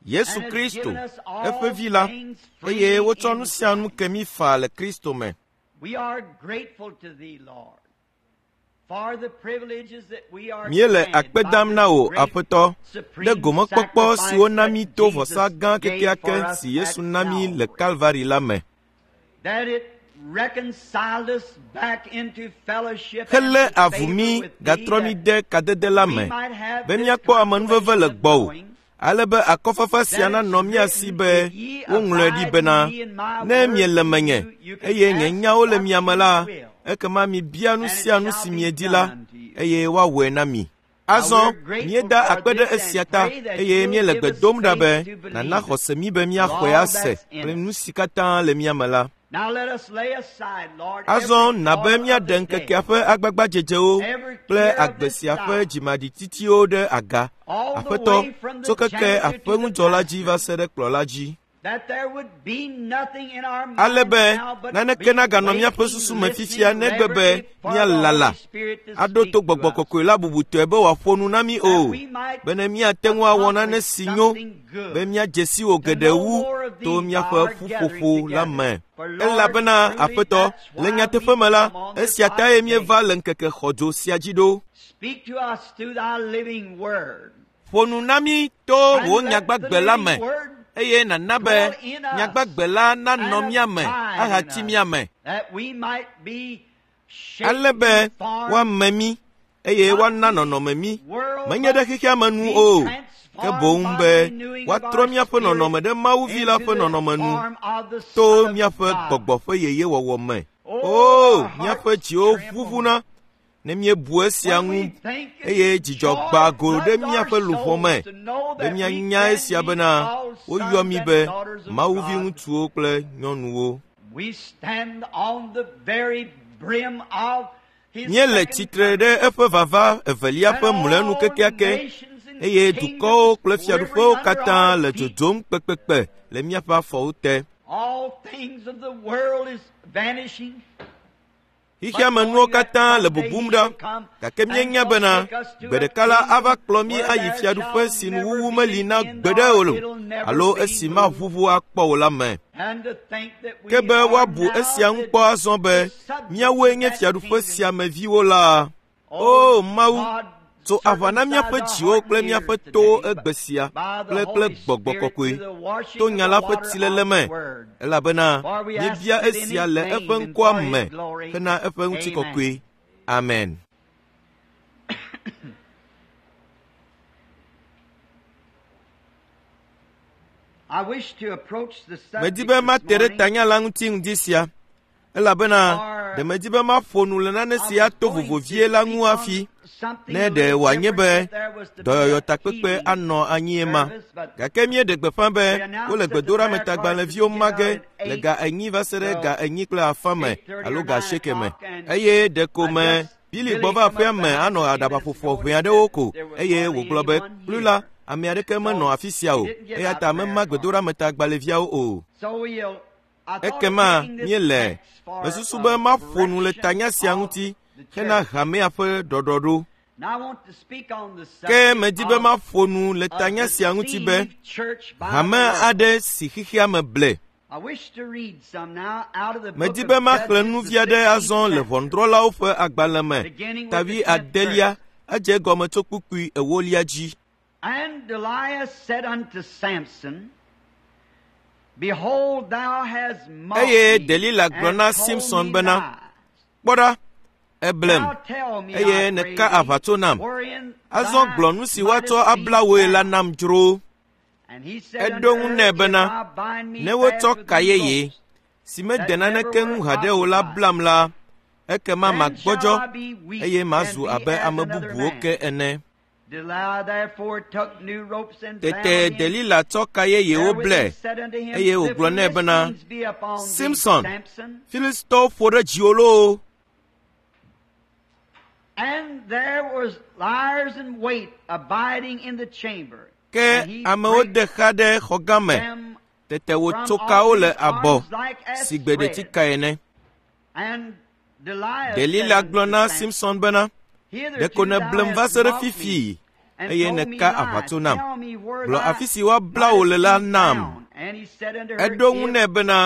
Yesu Kristo, eƒe Vi la, eye wotsɔ nu sia nu ke mí faa le Kristo me. Míele akpe dam na wò, Aƒetɔ, ɖe gomekpɔkpɔ si wona mí to vɔsa gã kekeake si Yesu na mí le Kalvari la me. Helé avu mí gatrɔ mí de kadede la me be míakpɔ amenuveve le gbɔwò ale be akɔfafa sia nanɔ mía si be woŋlɔe ɖi bena, Ne miele menye eye nye nyawo le mia me la, ekema mibia nu sia nu si miedi la, eye woawɔe na mi. Azɔ míeda akpe ɖe esia ta eye míele gbe dom ɖa be nàna xɔse mí be míaxɔe ase kple nu si katã le mía me la. Azɔ na be míaɖe ŋkekea ƒe agbagbadzedzewo kple agbe sia ƒe dzimaɖitsitiwo ɖe aga, Aƒetɔ, tso keke aƒeŋudzɔla dzi va se ɖe kplɔla dzi. Ale be naneke naganɔ míaƒe susu me fifia negbe be míalala aɖo to gbɔgbɔ kɔkɔe la bubutɔe be wòaƒo nu na mí o, bene míate ŋu awɔ nane si nyo be míadze si wò geɖe wu to míaƒe ƒuƒoƒo la me. Elabena, Aƒetɔ, le nyateƒe me la, esia tae míeva le ŋkeke xɔdzo sia dzi ɖo. Ƒo nu na mí to wò nyagbagbe la me, eye nàna be nyagbagbe la nanɔ mía me ahatsi mía me, ale be woame mí eye woana nɔnɔme mí, menye ɖe xexea me nu o, ke boŋ be woatrɔ míaƒe nɔnɔme ɖe Mawu Vi la ƒe nɔnɔme nu to míaƒe gbɔgbɔ ƒe yeyewɔwɔ me. O, míaƒe dziwo ʋuʋuna ne míebu esia ŋu eye dzidzɔ gbã go ɖe míaƒe luʋɔ me be míanya esia bena woyɔ mí be Mawu viŋutsuwo kple nyɔnuwo. Míele tsitre ɖe eƒe vava evelia ƒe mlɔenu kekeake eye dukɔwo kple fiaɖuƒewo katã le dzodzom kpekpekpe le míaƒe afɔwo te. Xexea me nuwo katã le bubum ɖa, gake míenya bena gbe ɖeka la ava kplɔ mí ayi fiaɖuƒe si nuwuwu meli na gbeɖe o alo esi maʋuʋu akpɔ o la me. Ke be woabu esia ŋu kpɔ azɔ be míawoe nye fiaɖuƒe sia me viwo la, O Mawu, tso aʋa na míaƒe dziwo kple míaƒe towo egbe sia kple kple gbɔgbɔ kɔkɔe to nya la ƒe tsilele me, elabena míebia esia le eƒe ŋkɔa me hena eƒe ŋutikɔkɔe. Amen. Medi be mate ɖe tanya la ŋuti ŋdi sia. elabena ɖe medi be maƒo nu le nane si ato vovo vie la ŋu hafi ne ɖe wòanye be dɔyɔyɔ takpekpe anɔ anyie ma. Gake míeɖe gbeƒã be wole gbedoɖametagbalẽviwo ma ge le ga enyi va se ɖe ga enyi kple afã me alo ga asieke me. Eye ɖeko me Billy gbɔ va aƒea me anɔ aɖabaƒoƒo ʋɛ aɖewo ko eye wògblɔ be, Kplui la, ame aɖeke menɔ afi sia o, eya ta mema gbedoɖametagbalẽviawo o. Ekema míele mesusu be maƒo nu le tanya sia ŋuti hena hamea ƒe ɖɔɖɔɖo. Ke medi be maƒo nu le tanya sia ŋuti be hame aɖe si xexea me ble. Medi be maxlẽ nu vi aɖe azɔ le Ʋɔnudrɔ̃lawo ƒe agbalẽ me, ta wuiadelia, edze egɔme tso kpukpui ewolia dzi. And Delilah said unto Samson, Behold, thou hast mocked Eye me Delila gblɔ and na told Simson me bena, lies. Kpɔ ɖa, èblem, Now tell me, eye I pray nèka thee, aʋatso nam. wherein Azɔ thy gblɔ nu si woatsɔ mightest abla be wòe la found. nam dzro. And he said Eɖo unto ŋu her, nɛ If bena, thou bind me Ne wotsɔ fast with ka these yeye, ropes, si mede that never naneke were ŋu haɖe o la occupied, blam la, ekema then shall magbɔdzɔ I be weak eye and mazu be abe as ame another bubuwo man. ke ene. Delilah therefore took new ropes and Tete bound him. Delila tsɔ ka yeyewo Therewith blɛ he said unto him, eye The wògblɔ nɛ bena, Philistines be upon thee, Simson, Samson. Filistitɔwo ƒo ɖe dziwò loo. And there was liars in wait abiding in the chamber. Ke And he amewo brake de xa ɖe xɔgã me. them Tete wòtso from off kawo le his abɔ arms like as si thread. gbeɖetika ene. And Delilah said Delila unto gblɔ na Samson, Simson bena, Hitherto Ɖeko thou nèblem va hast se ɖe mocked me, fifi, eye nèka aʋatso nam. Gblɔ afi si woabla wò le la nam. Eɖo ŋu nɛ bena,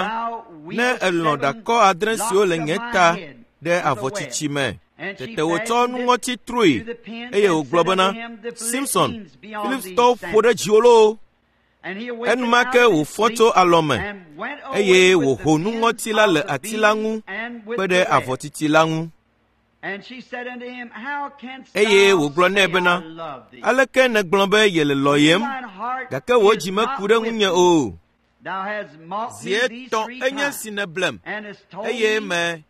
ne èlɔ̃ ɖakɔ adre siwo le nye ta ɖe avɔ tsitsi me. Tete wòtsɔ nuŋɔti troe eye wògblɔ bena, Simson, Filistitɔwo ƒo ɖe dziwò loo! Enumake wòfɔ tso alɔ me eye wòho nuŋɔti la le ati la ŋu kpe ɖe avɔ tsitsi la ŋu. Eye wògblɔ nɛ bena, aleke nègblɔ be yele lɔ̃yem gake wò dzi meku ɖe ŋunye o? Zi etɔ̃ enye si nèblem eye me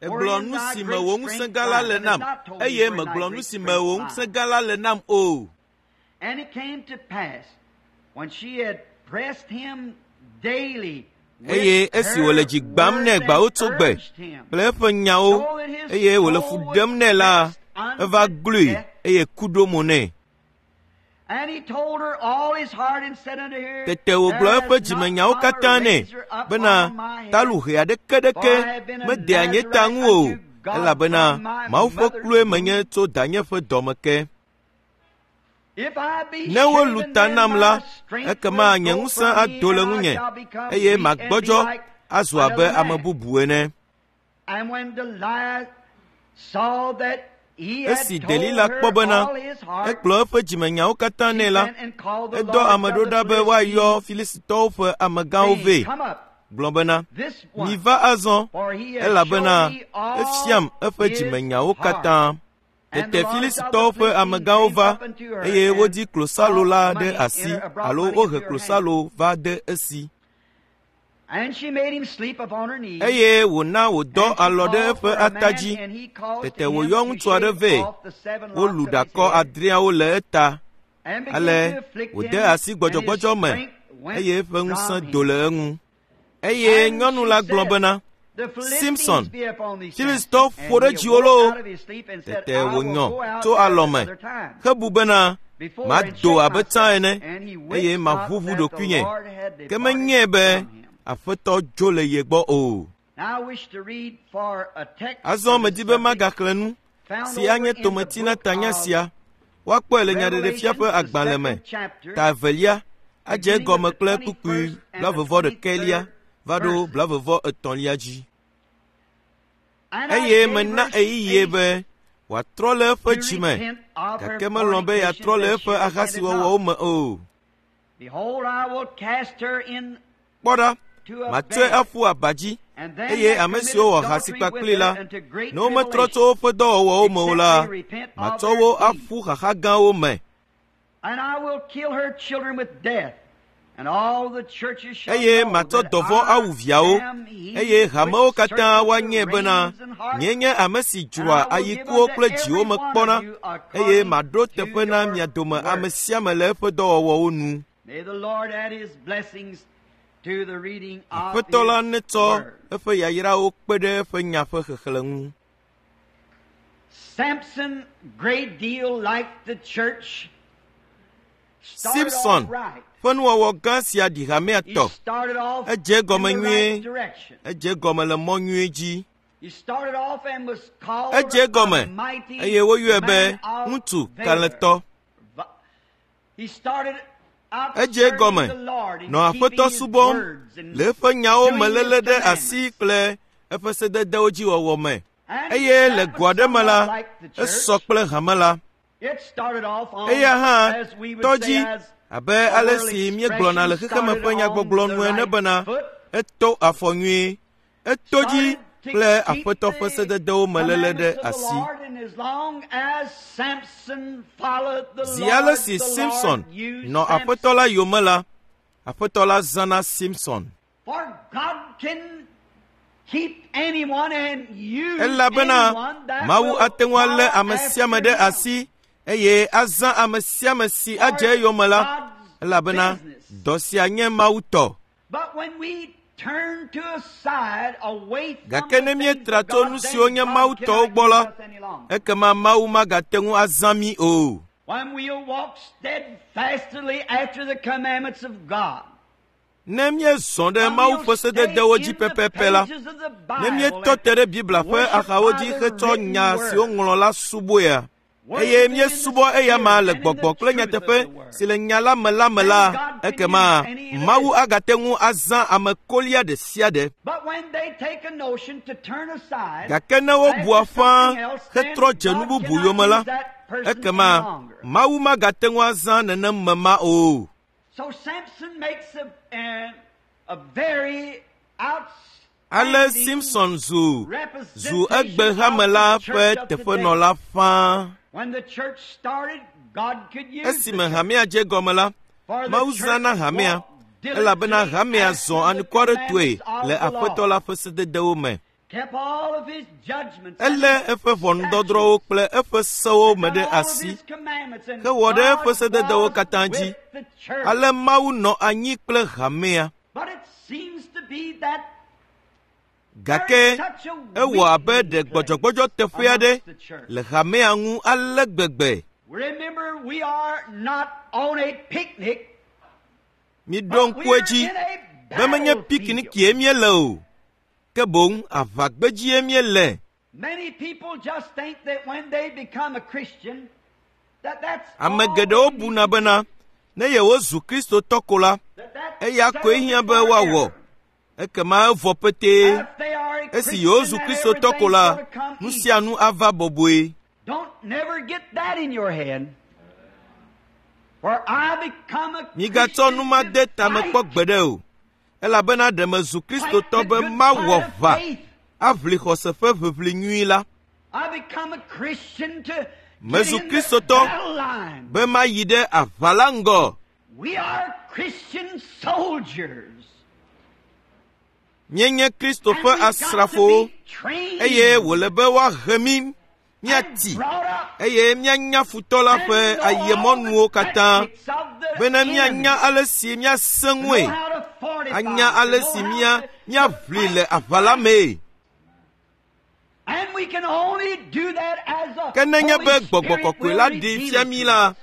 egblɔ nu si me wò ŋusẽ gã la le nam eye megblɔ nu si me wò ŋusẽ gã la le nam o. Eye esi wòle dzi gbãm nɛ gbawotsyogbe kple eƒe nyawo eye wòle fu ɖem nɛ la, eva gloe eye ku ɖo mo nɛ. Tete wògblɔ eƒe dzimenyawo katã nɛ bena taluhe aɖeke ɖeke medea nye ta ŋu o elabena Mawu ƒe klue menye tso danye ƒe dɔme ke. Ne wolu ta nam la, ekema nye ŋusẽ ado le ŋunye eye magbɔdzɔ azu abe ame bubu ene. Esi Delila kpɔ bena ekplɔ eƒe dzimenyawo katã nɛ la, edɔ ame ɖo ɖa be woayɔ Filistitɔwo ƒe amegãwo vɛ, gblɔ bena, Miva azɔ, elabena efiam eƒe dzimenyawo katã. Tete Filistitɔwo ƒe amegãwo va eye wodi klosalo la ɖe asi alo wohe klosalo va de esi. Eye wòna wòdɔ alɔ ɖe eƒe ata dzi. Tete wòyɔ ŋutsu aɖe vɛ. Wolu ɖakɔ adreawo le eta. Ale wòde asi gbɔdzɔgbɔdzɔ me eye eƒe ŋusẽ do le eŋu. Eye nyɔnu la gblɔ bena, Simson, Filistitɔwo ƒo ɖe dziwò loo! Tete wònyɔ tso alɔ me hebu bena, mado abe tsã ene eye maʋuʋu ɖokuinye. Ke menyae be Aƒetɔ dzo le ye gbɔ o. Azɔ medi be magaxlẽ nu si anye tometi na tanya sia. Woakpɔe le Nyaɖeɖefia ƒe agbalẽ me, ta evelia, adze egɔme kple kpukpui blaeve-vɔ-ɖekɛlia va ɖo blaeve-vɔ-etɔ̃lia dzi. Eye mena ɣeyiɣie be wòatrɔ le eƒe dzi me, gake melɔ̃ be yeatrɔ le eƒe ahasiwɔwɔwo me o. Kpɔ ɖa, matsɔe aƒu aba dzi, eye ame siwo wɔ ahasi kpakplii la, ne wometrɔ tso woƒe dɔwɔwɔwo me o la, matsɔ wo aƒu xaxa gãwo me. Eye matsɔ dɔvɔ̃ awu viawo, eye hamewo katã woanyae bena nyee nye ame si dzroa ayikuwo kple dziwo me kpɔna, eye maɖo teƒe na mia dome ame sia ame le eƒe dɔwɔwɔwo nu. Aƒetɔ la netsɔ eƒe yayrawo kpe ɖe eƒe nya ƒe xexlẽ ŋu. Samson, great deal like the church, Simpson ƒe nuwɔwɔ gã sia ɖi hamea tɔ. Edze egɔme nyuie. Edze egɔme le mɔ nyui dzi. Edze egɔme eye woyɔe be ŋutsu kalẽtɔ. Edze egɔme nɔ Aƒetɔ subɔm le eƒe nyawo me léle ɖe asi kple eƒe sededewo dzi wɔwɔ me. Eye le go aɖe me la, esɔ kple hame la. Eya hã tɔ dzi abe ale si míegblɔna le xexeme ƒe nyagbɔgblɔ nu ene bena eto afɔ nyuie. Eto dzi kple Aƒetɔ ƒe sededewo me léle ɖe asi. Zi ale si Simson nɔ Aƒetɔ la yome la, Aƒetɔ la zãna Simson. Elabena Mawu ate ŋu alé ame sia ame ɖe asi eye azã ame sia ame si adze eyome la, elabena dɔ sia nye Mawu tɔ. Gake ne míetra tso nu siwo nye Mawu tɔwo gbɔ la, ekema Mawu magate ŋu azã mí o. Ne míezɔ ɖe Mawu ƒe sededewo dzi pɛpɛpɛ la, ne míetɔ te ɖe Biblia ƒe axawo dzi hetsɔ nya si woŋlɔ la subɔea, eye míesubɔ eyama le gbɔgbɔ kple nyateƒe si le nya la me la me la, ekema Mawu agate ŋu azã ame kolia ɖe sia ɖe. Gake ne wobua fãa hetrɔ dze nu bubu yome la, ekema Mawu magate ŋu azã nenem me ma o. Ale Simson zu zu egbe hame la ƒe teƒenɔla fãa. Esime hamea dze gɔme la, Mawu zãna hamea elabena hamea zɔ anukwaretɔe le Aƒetɔ la ƒe sededewo me. Elé eƒe ʋɔnudɔdrɔ̃wo kple eƒe sewo me ɖe asi hewɔ ɖe eƒe sededewo katã dzi. Ale Mawu nɔ anyi kple hamea. Gake ewɔ abe ɖe gbɔdzɔgbɔdzɔ teƒe aɖe le hamea ŋu ale gbegbe. Miɖo ŋku edzi be menye piknikie míele o, ke boŋ aʋagbedzie míele. Ame geɖewo buna bena ne yewozu Kristotɔ ko la, eya koe hiã be woawɔ. Ekema evɔ petee. Esi yewozu Kristotɔ ko la, nu sia nu ava bɔbɔe. Migatsɔ nu ma de tame kpɔ gbeɖe o, elabena ɖe mezu Kristotɔ be mawɔ ʋa aʋli xɔse ƒe ʋiʋli nyui la. Mezu Kristotɔ be mayi ɖe aʋa la ŋgɔ. Míenye Kristo ƒe asrafowo eye wòle be woahe mí míati eye míanya futɔ la ƒe ayemɔnuwo katã bene míanya ale si míasẽ ŋue, anya ale si mía míaʋli le aʋa la mee. Ke nenye be gbɔgbɔ kɔkɔe la ɖee fia mí la,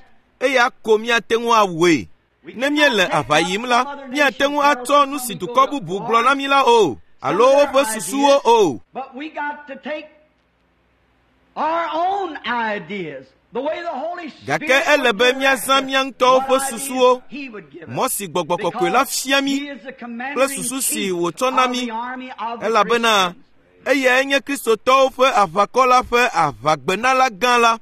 eya ko míate ŋu awɔe. Ne míele aʋa yim la, míate ŋu atsɔ nu si dukɔ bubu gblɔ na mí la o, alo woƒe susuwo o. Gake ele be míazã mía ŋutɔwo ƒe susuwo, mɔ si gbɔgbɔ kɔkɔe la fia mí kple susu si wòtsɔ na mí, elabena eyae nye Kristotɔwo ƒe aʋakɔ la ƒe aʋagbenala gã la.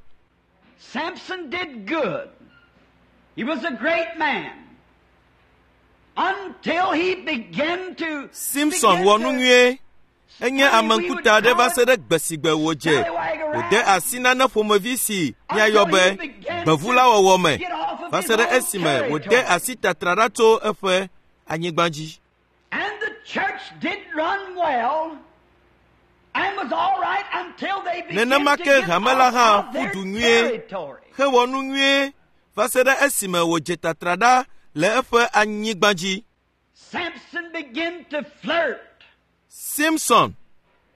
Samson did good. He was a great man. Until he began to Simson wɔ nu nyuie. Enye ame ŋkuta aɖe va se ɖe gbe si gbe wòdze wòde asi nane ƒomevi si míayɔ be gbevula wɔwɔ me va se ɖe esime wòde asi tatra ɖa tso eƒe anyigba dzi. And the church did run well and was all right until they began Nenema to ke get hame la off hã of ƒu their du nyuie territory. hewɔ nu nyuie va se ɖe esime wòdze tatra ɖa le eƒe anyigba dzi. Samson began to flirt. Simson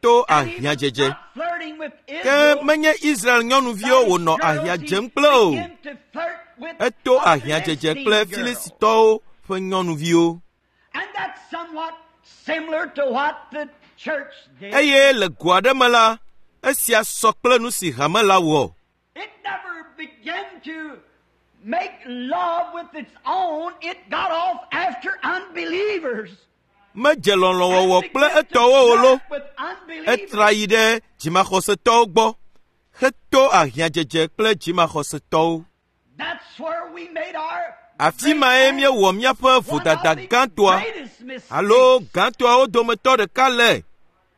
to And he was ahiãdzedze. not flirting with Ke Israel. menye Israel nyɔnuviwo wònɔ ahiã dzem kple o. Eto ahiãdzedze kple Filistitɔwo ƒe nyɔnuviwo. And that's somewhat similar to what the church did. Eye le go aɖe me la, esia sɔ kple nu si hame la wɔ. It never began to make love with its own. It got off after unbelievers. Medze lɔlɔ̃wɔwɔ And kple began to etɔwo o lo. flirt with unbelievers. Etra yi ɖe dzimaxɔsetɔwo gbɔ heto ahiãdzedze kple dzimaxɔsetɔwo. That's where we made our Afi mae míewɔ míaƒe one of vodada the gãtɔa greatest mistakes. alo gãtɔawo dometɔ ɖeka le.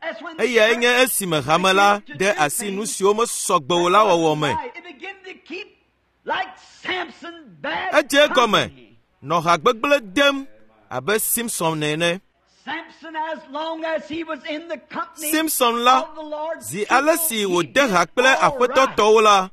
That's when the Eyae church nye esime hame la de asi nu siwo mesɔ gbe o la wɔwɔ me. It began to keep like Samson bad Edze egɔme company. nɔ ha gbegblẽ dem abe Simson ene. Samson, as long as he was in the company Simson la, of the Lord's zi ale people, si he wòde did ha kple all aƒetɔ right. tɔwo la,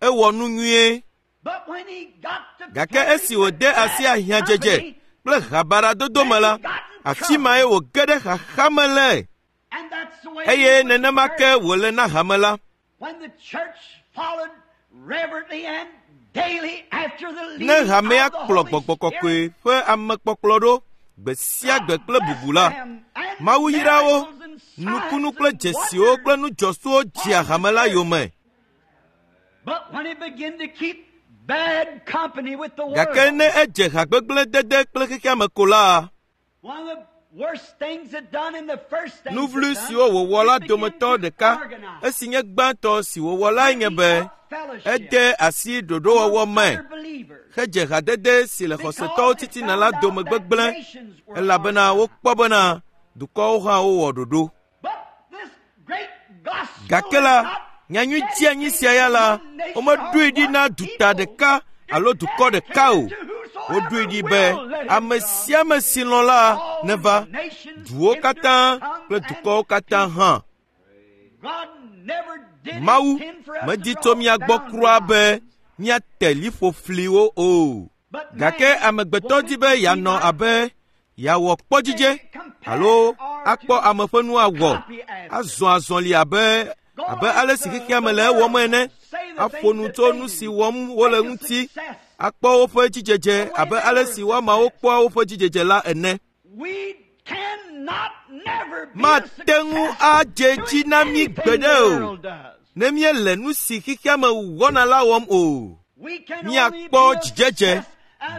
ewɔ nu nyuie. But when he got to Gake flirting esi with wòde asi bad ahiãdzedze company, kple habaɖadodo me la, afi mae wòge ɖe xaxa me le. and that's the way Eye it was nenema with ke the church. wòle na hame la. When the church followed reverently and daily after the Ne leading hamea of the kplɔ Holy gbɔgbɔ kɔkɔe Spirit, ƒe amekpɔkplɔ ɖo gbe sia gbe kple bubu la, Mawu yra wo, nukunu kple dzesiwo kple nudzɔsuwo dzea hame la yome. Gake ne edze hagbegblẽ dede kple xexea me ko la, nu vloe siwo wòwɔ la dometɔ ɖeka esi nye gbãtɔ si wòwɔ lae nye be ede asi ɖoɖowɔwɔ me hedze hadede si le xɔsetɔwo titina la dome gbegblẽ elabena wokpɔ bena dukɔwo hã wowɔ ɖoɖo. Gake la, nyanyui dzianyi sia ya la, womeɖoe ɖi na duta ɖeka alo dukɔ ɖeka o. Woɖoe ɖi be ame sia ame si lɔ̃ la neva, duwo katã kple dukɔwo katã hã. Mawu medi tso mía gbɔ kura be míate liƒo fliwo o. Gake amegbetɔ di be yeanɔ abe yeawɔ kpɔdzidze alo akpɔ ame ƒe nu awɔ, azɔ azɔli abe abe ale si xexea me le ewɔm ene, aƒo nu tso nu si wɔm wole ŋuti, akpɔ woƒe dzidzedze abe ale si woamawo kpɔa woƒe dzidzedze la ene. Mate ŋu adze dzi na mí gbeɖe o ne míele nu si xexea me wɔna la wɔm o. Míakpɔ dzidzedze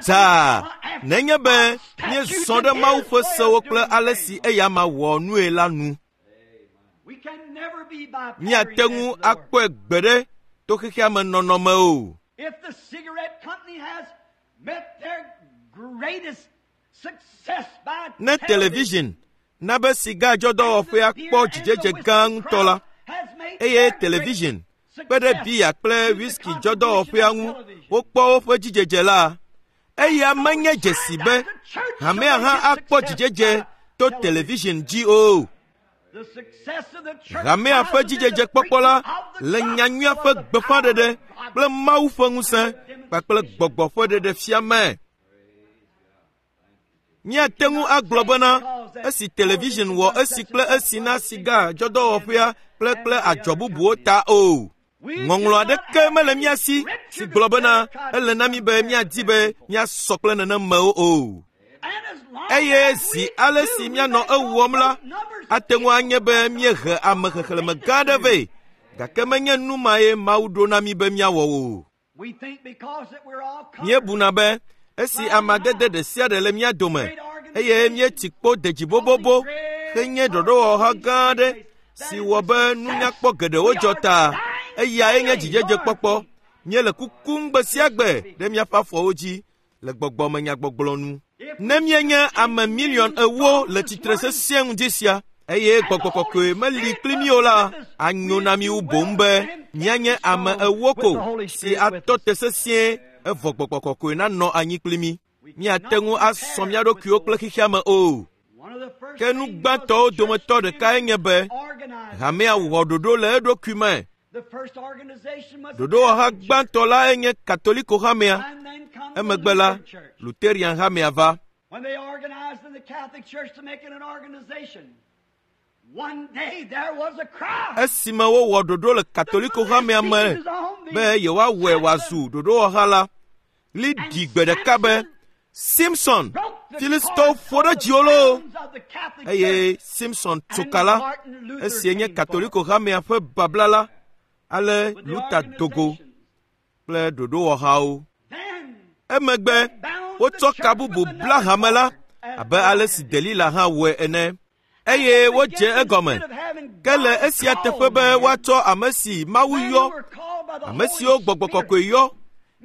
dzaa nenye be míezɔ ɖe Mawu ƒe sewo kple ale si eyama wɔ nue la nu. Míate ŋu akpɔe gbeɖe to xexea me nɔnɔme o. Ne television na be sigadzɔdɔwɔƒea kpɔ dzidzedze gã ŋutɔ la, eye television kpe ɖe biya kple whisky dzɔdɔwɔƒea ŋu wokpɔ woƒe dzidzedze la, eya menye dzesi be hamea hã akpɔ dzidzedze to television dzi o. Hamea ƒe dzidzedzekpɔkpɔ la le nyanyuia ƒe gbeƒãɖeɖe kple Mawu ƒe ŋusẽ kpakple gbɔgbɔ ƒe ɖeɖefia me. Míate ŋu agblɔ bena esi television wɔ esi kple esi na siga dzɔdɔwɔƒea kple kple adzɔ bubuwo ta o. Ŋɔŋlɔ aɖeke mele mía si si gblɔ bena ele na mí be míadi be míasɔ kple nenemewo o. Eye zi ale si míanɔ ewɔm la, ate ŋu anye be míehe ame xexlẽme gã aɖe vɛ, gake menye nu mae Mawu ɖo na mí be míawɔ o. Míebuna be esi amadede ɖe sia ɖe le mía dome eye míetsi kpo de dzi bobobo henye ɖoɖowɔha gã aɖe si wɔ be nunyakpɔ geɖewo dzɔ ta, eyae nye dzidzedzekpɔkpɔ. Míele kukum gbe sia gbe ɖe míaƒe afɔwo dzi le gbɔgbɔmenyagbɔgblɔ nu. Ne míenye ame miliɔn ewo le tsitre sesĩe ŋdi sia, eye gbɔgbɔ kɔkɔe meli kpli mí o la, anyo na mí wu boŋ be míanye ame ewo ko si atɔ te sesĩe evɔ gbɔgbɔ kɔkɔe nanɔ anyi kpli mí. Míate ŋu asɔ mía ɖokuiwo kple xexea me o. Ke nu gbãtɔwo dometɔ ɖekae nye be hamea wɔ ɖoɖo le eɖokui me. Ɖoɖowɔha gbãtɔ lae nye Katoliko hamea. Emegbe la, Luterian hamea va. Esime wowɔ ɖoɖo le Katoliko hamea me be yewoawɔe wòazu ɖoɖowɔha la, ɣli ɖi gbe ɖeka be, Simson, Filistitɔwo ƒo ɖe dziwò loo! Eye Simson tso ka la, esie nye Katoliko hamea ƒe babla la, ale Luther do go kple ɖoɖowɔhawo. Emegbe wotsɔ ka bubu bla hame la abe ale si Delila hã wɔe ene. Eye wodze egɔme. Ke le esia teƒe be woatsɔ ame si Mawu yɔ, ame siwo gbɔgbɔ kɔkɔe yɔ,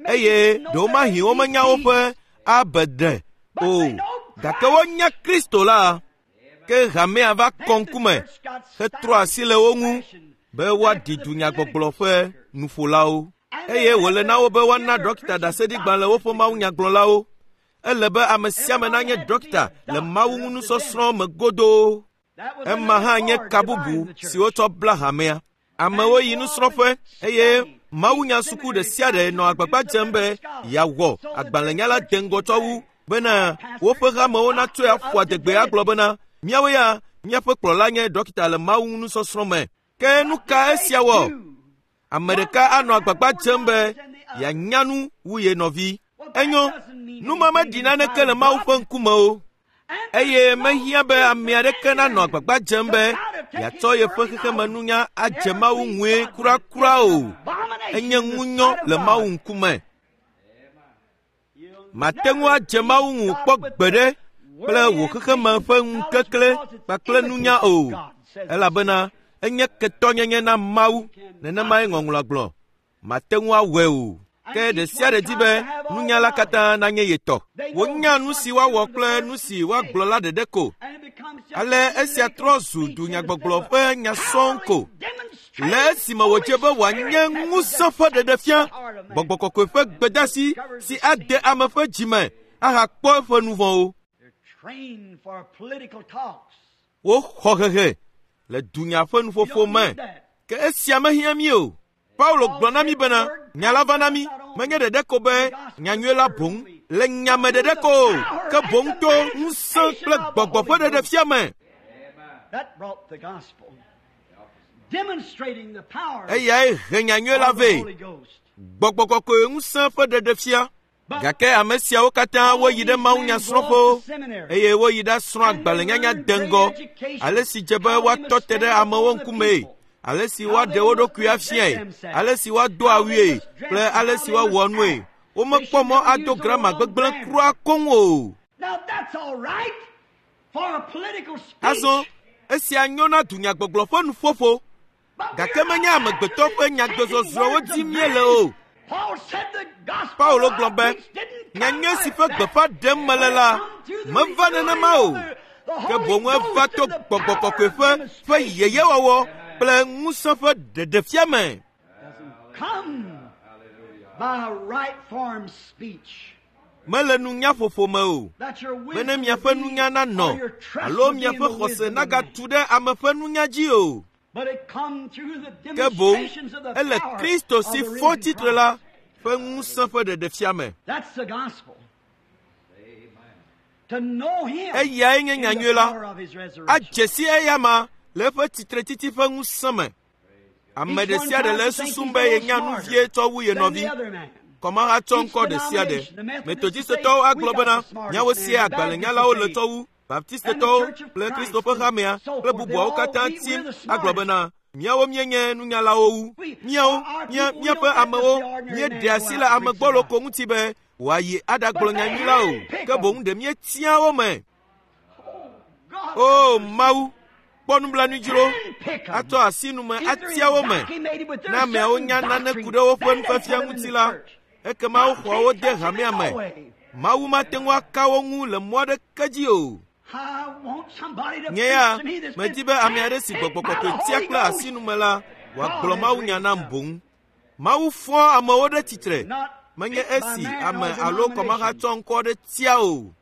eye ɖewomahi womenya woƒe abeɖe o, gake wonya Kristo la, ke hamea va kɔ ŋkume hetrɔ asi le wo ŋu be woaɖi dunyagbɔgblɔ ƒe nuƒolawo. Eye wòle na wo be woana ɖɔkita ɖaseɖigbalẽ woƒe mawunyagblɔlawo. Ele be ame sia ame nanye ɖɔkita le Mawu ŋu nusɔsrɔ̃ me godoo. Ema hã nye ka bubu si wotsɔ bla hamea. Amewo yi nusrɔ̃ƒe eye mawunyasuku ɖe sia ɖe nɔ agbagba dzem be yeawɔ agbalẽnyala deŋgɔ tsɔ wu bena woƒe hamewo natsɔe aƒo adegbe agblɔ bena míawo ya míaƒe kplɔla nye ɖɔkita le Mawu ŋu nusɔsrɔ̃ me. Ke nu ka esia wɔ? Ame ɖeka anɔ agbagba dzem be yeanya nu wu ye nɔvi. Enyo, nu ma meɖi naneke le Mawu ƒe ŋkume o. Eye mehiã be ame aɖeke nanɔ agbagba dzem be yeatsɔ yeƒe xexemenunya adze Mawu ŋue kurakura o. enye ŋunyɔ le Mawu ŋkume. Mate ŋu adze Mawu ŋu kpɔ gbeɖe kple wò xexeme ƒe ŋukekle kpakple nunya o, elabena enye ketɔnyenye na Mawu, nenemae ŋɔŋlɔa gblɔ. Mate ŋu awɔe o. Ke ɖe sia ɖe di be nunya la katã nanye ye tɔ. Wonya nu si woawɔ kple nu si woagblɔ la ɖeɖe ko. Ale esia trɔ zu dunyagbɔgblɔ ƒe nya sɔŋ ko. Le esime wòdze be wòanye ŋusẽ ƒe ɖeɖefia, gbɔgbɔ kɔkɔe ƒe gbedeasi si ade ame ƒe dzime ahakpɔ eƒe nu vɔ̃wo. Woxɔ hehe le dunya ƒe nuƒoƒo me, ke esia mehiã mí o. Paulo gblɔ na mí bena nya la va na mí menye ɖeɖe ko be nyanyui la boŋ le nyame ɖeɖe ko o, ke boŋ to ŋusẽ kple gbɔgbɔ ƒe ɖeɖefia me. Eyae he nyanyui la vɛ, gbɔgbɔ kɔkɔe ŋusẽ ƒe ɖeɖefia. Gake ame siawo katã woyi ɖe mawunyasrɔ̃ƒewo eye woyi ɖasrɔ̃ agbalẽnyanya deŋgɔ, ale si dze be woatɔ te ɖe amewo ŋkumee, ale si woaɖe wo ɖokui afiae, ale si woado awue kple ale si woawɔ nue. Womekpɔ mɔ ado grama gbegblẽ kura koŋ o. Azɔ esia nyo na dunyagbɔgblɔ ƒe nuƒoƒo, gake menye amegbetɔ ƒe nyagbezɔzrɔ̃wo dim míele o. Paulo gblɔ be nyanyui si ƒe gbeƒã ɖem mele la meva nenema o, ke boŋ eva to gbɔgbɔ kɔkɔe ƒe ƒe yeyewɔwɔ kple ŋusẽ ƒe ɖeɖefia me. Mele nunya ƒoƒo me o, bene miaƒe nunya nanɔ alo miaƒe xɔse nagatu ɖe ame ƒe nunya dzi o. Ke boŋ ele Kristo si fɔ tsitre la ƒe ŋusẽ ƒe ɖeɖefia me. Eyae nye nyanyui la. Adze si eyama le eƒe tsitretsitsi ƒe ŋusẽ me. Ame ɖe sia ɖe le esusum be yenya nu vie tsɔ wu ye nɔvi. Kɔmahatsɔ ŋkɔ ɖe sia ɖe. Metodistetɔwo agblɔ bena miawo sie agbalẽnyalawo le tsɔ wu Baptistetɔwo kple Kristo ƒe hamea kple bubuawo katã tim agblɔ bena míawo míenye nunyalawo wu. Míawo, mía, míaƒe amewo míeɖe asi le ame gbɔlo ko ŋuti be wòayi aɖagblɔ nyanyui la o, ke boŋ ɖe míetia wo me. O Mawu, kpɔ nublanui dzro, atsɔ asi nume atia wo me. Ne ameawo nya nane ku ɖe woƒe nufiafia ŋuti la, ekema woxɔa wo de hamea me. Mawu mate ŋu aka wo ŋu le mɔ aɖeke dzi o. Nye ya medi be ame aɖe si gbɔgbɔ kɔkɔe tia kple asi nume la wòagblɔ mawunya nam boŋ. Mawu fɔa amewo ɖe tsitre, menye esi ame alo kɔmahatsɔ ŋkɔ aɖe tia o.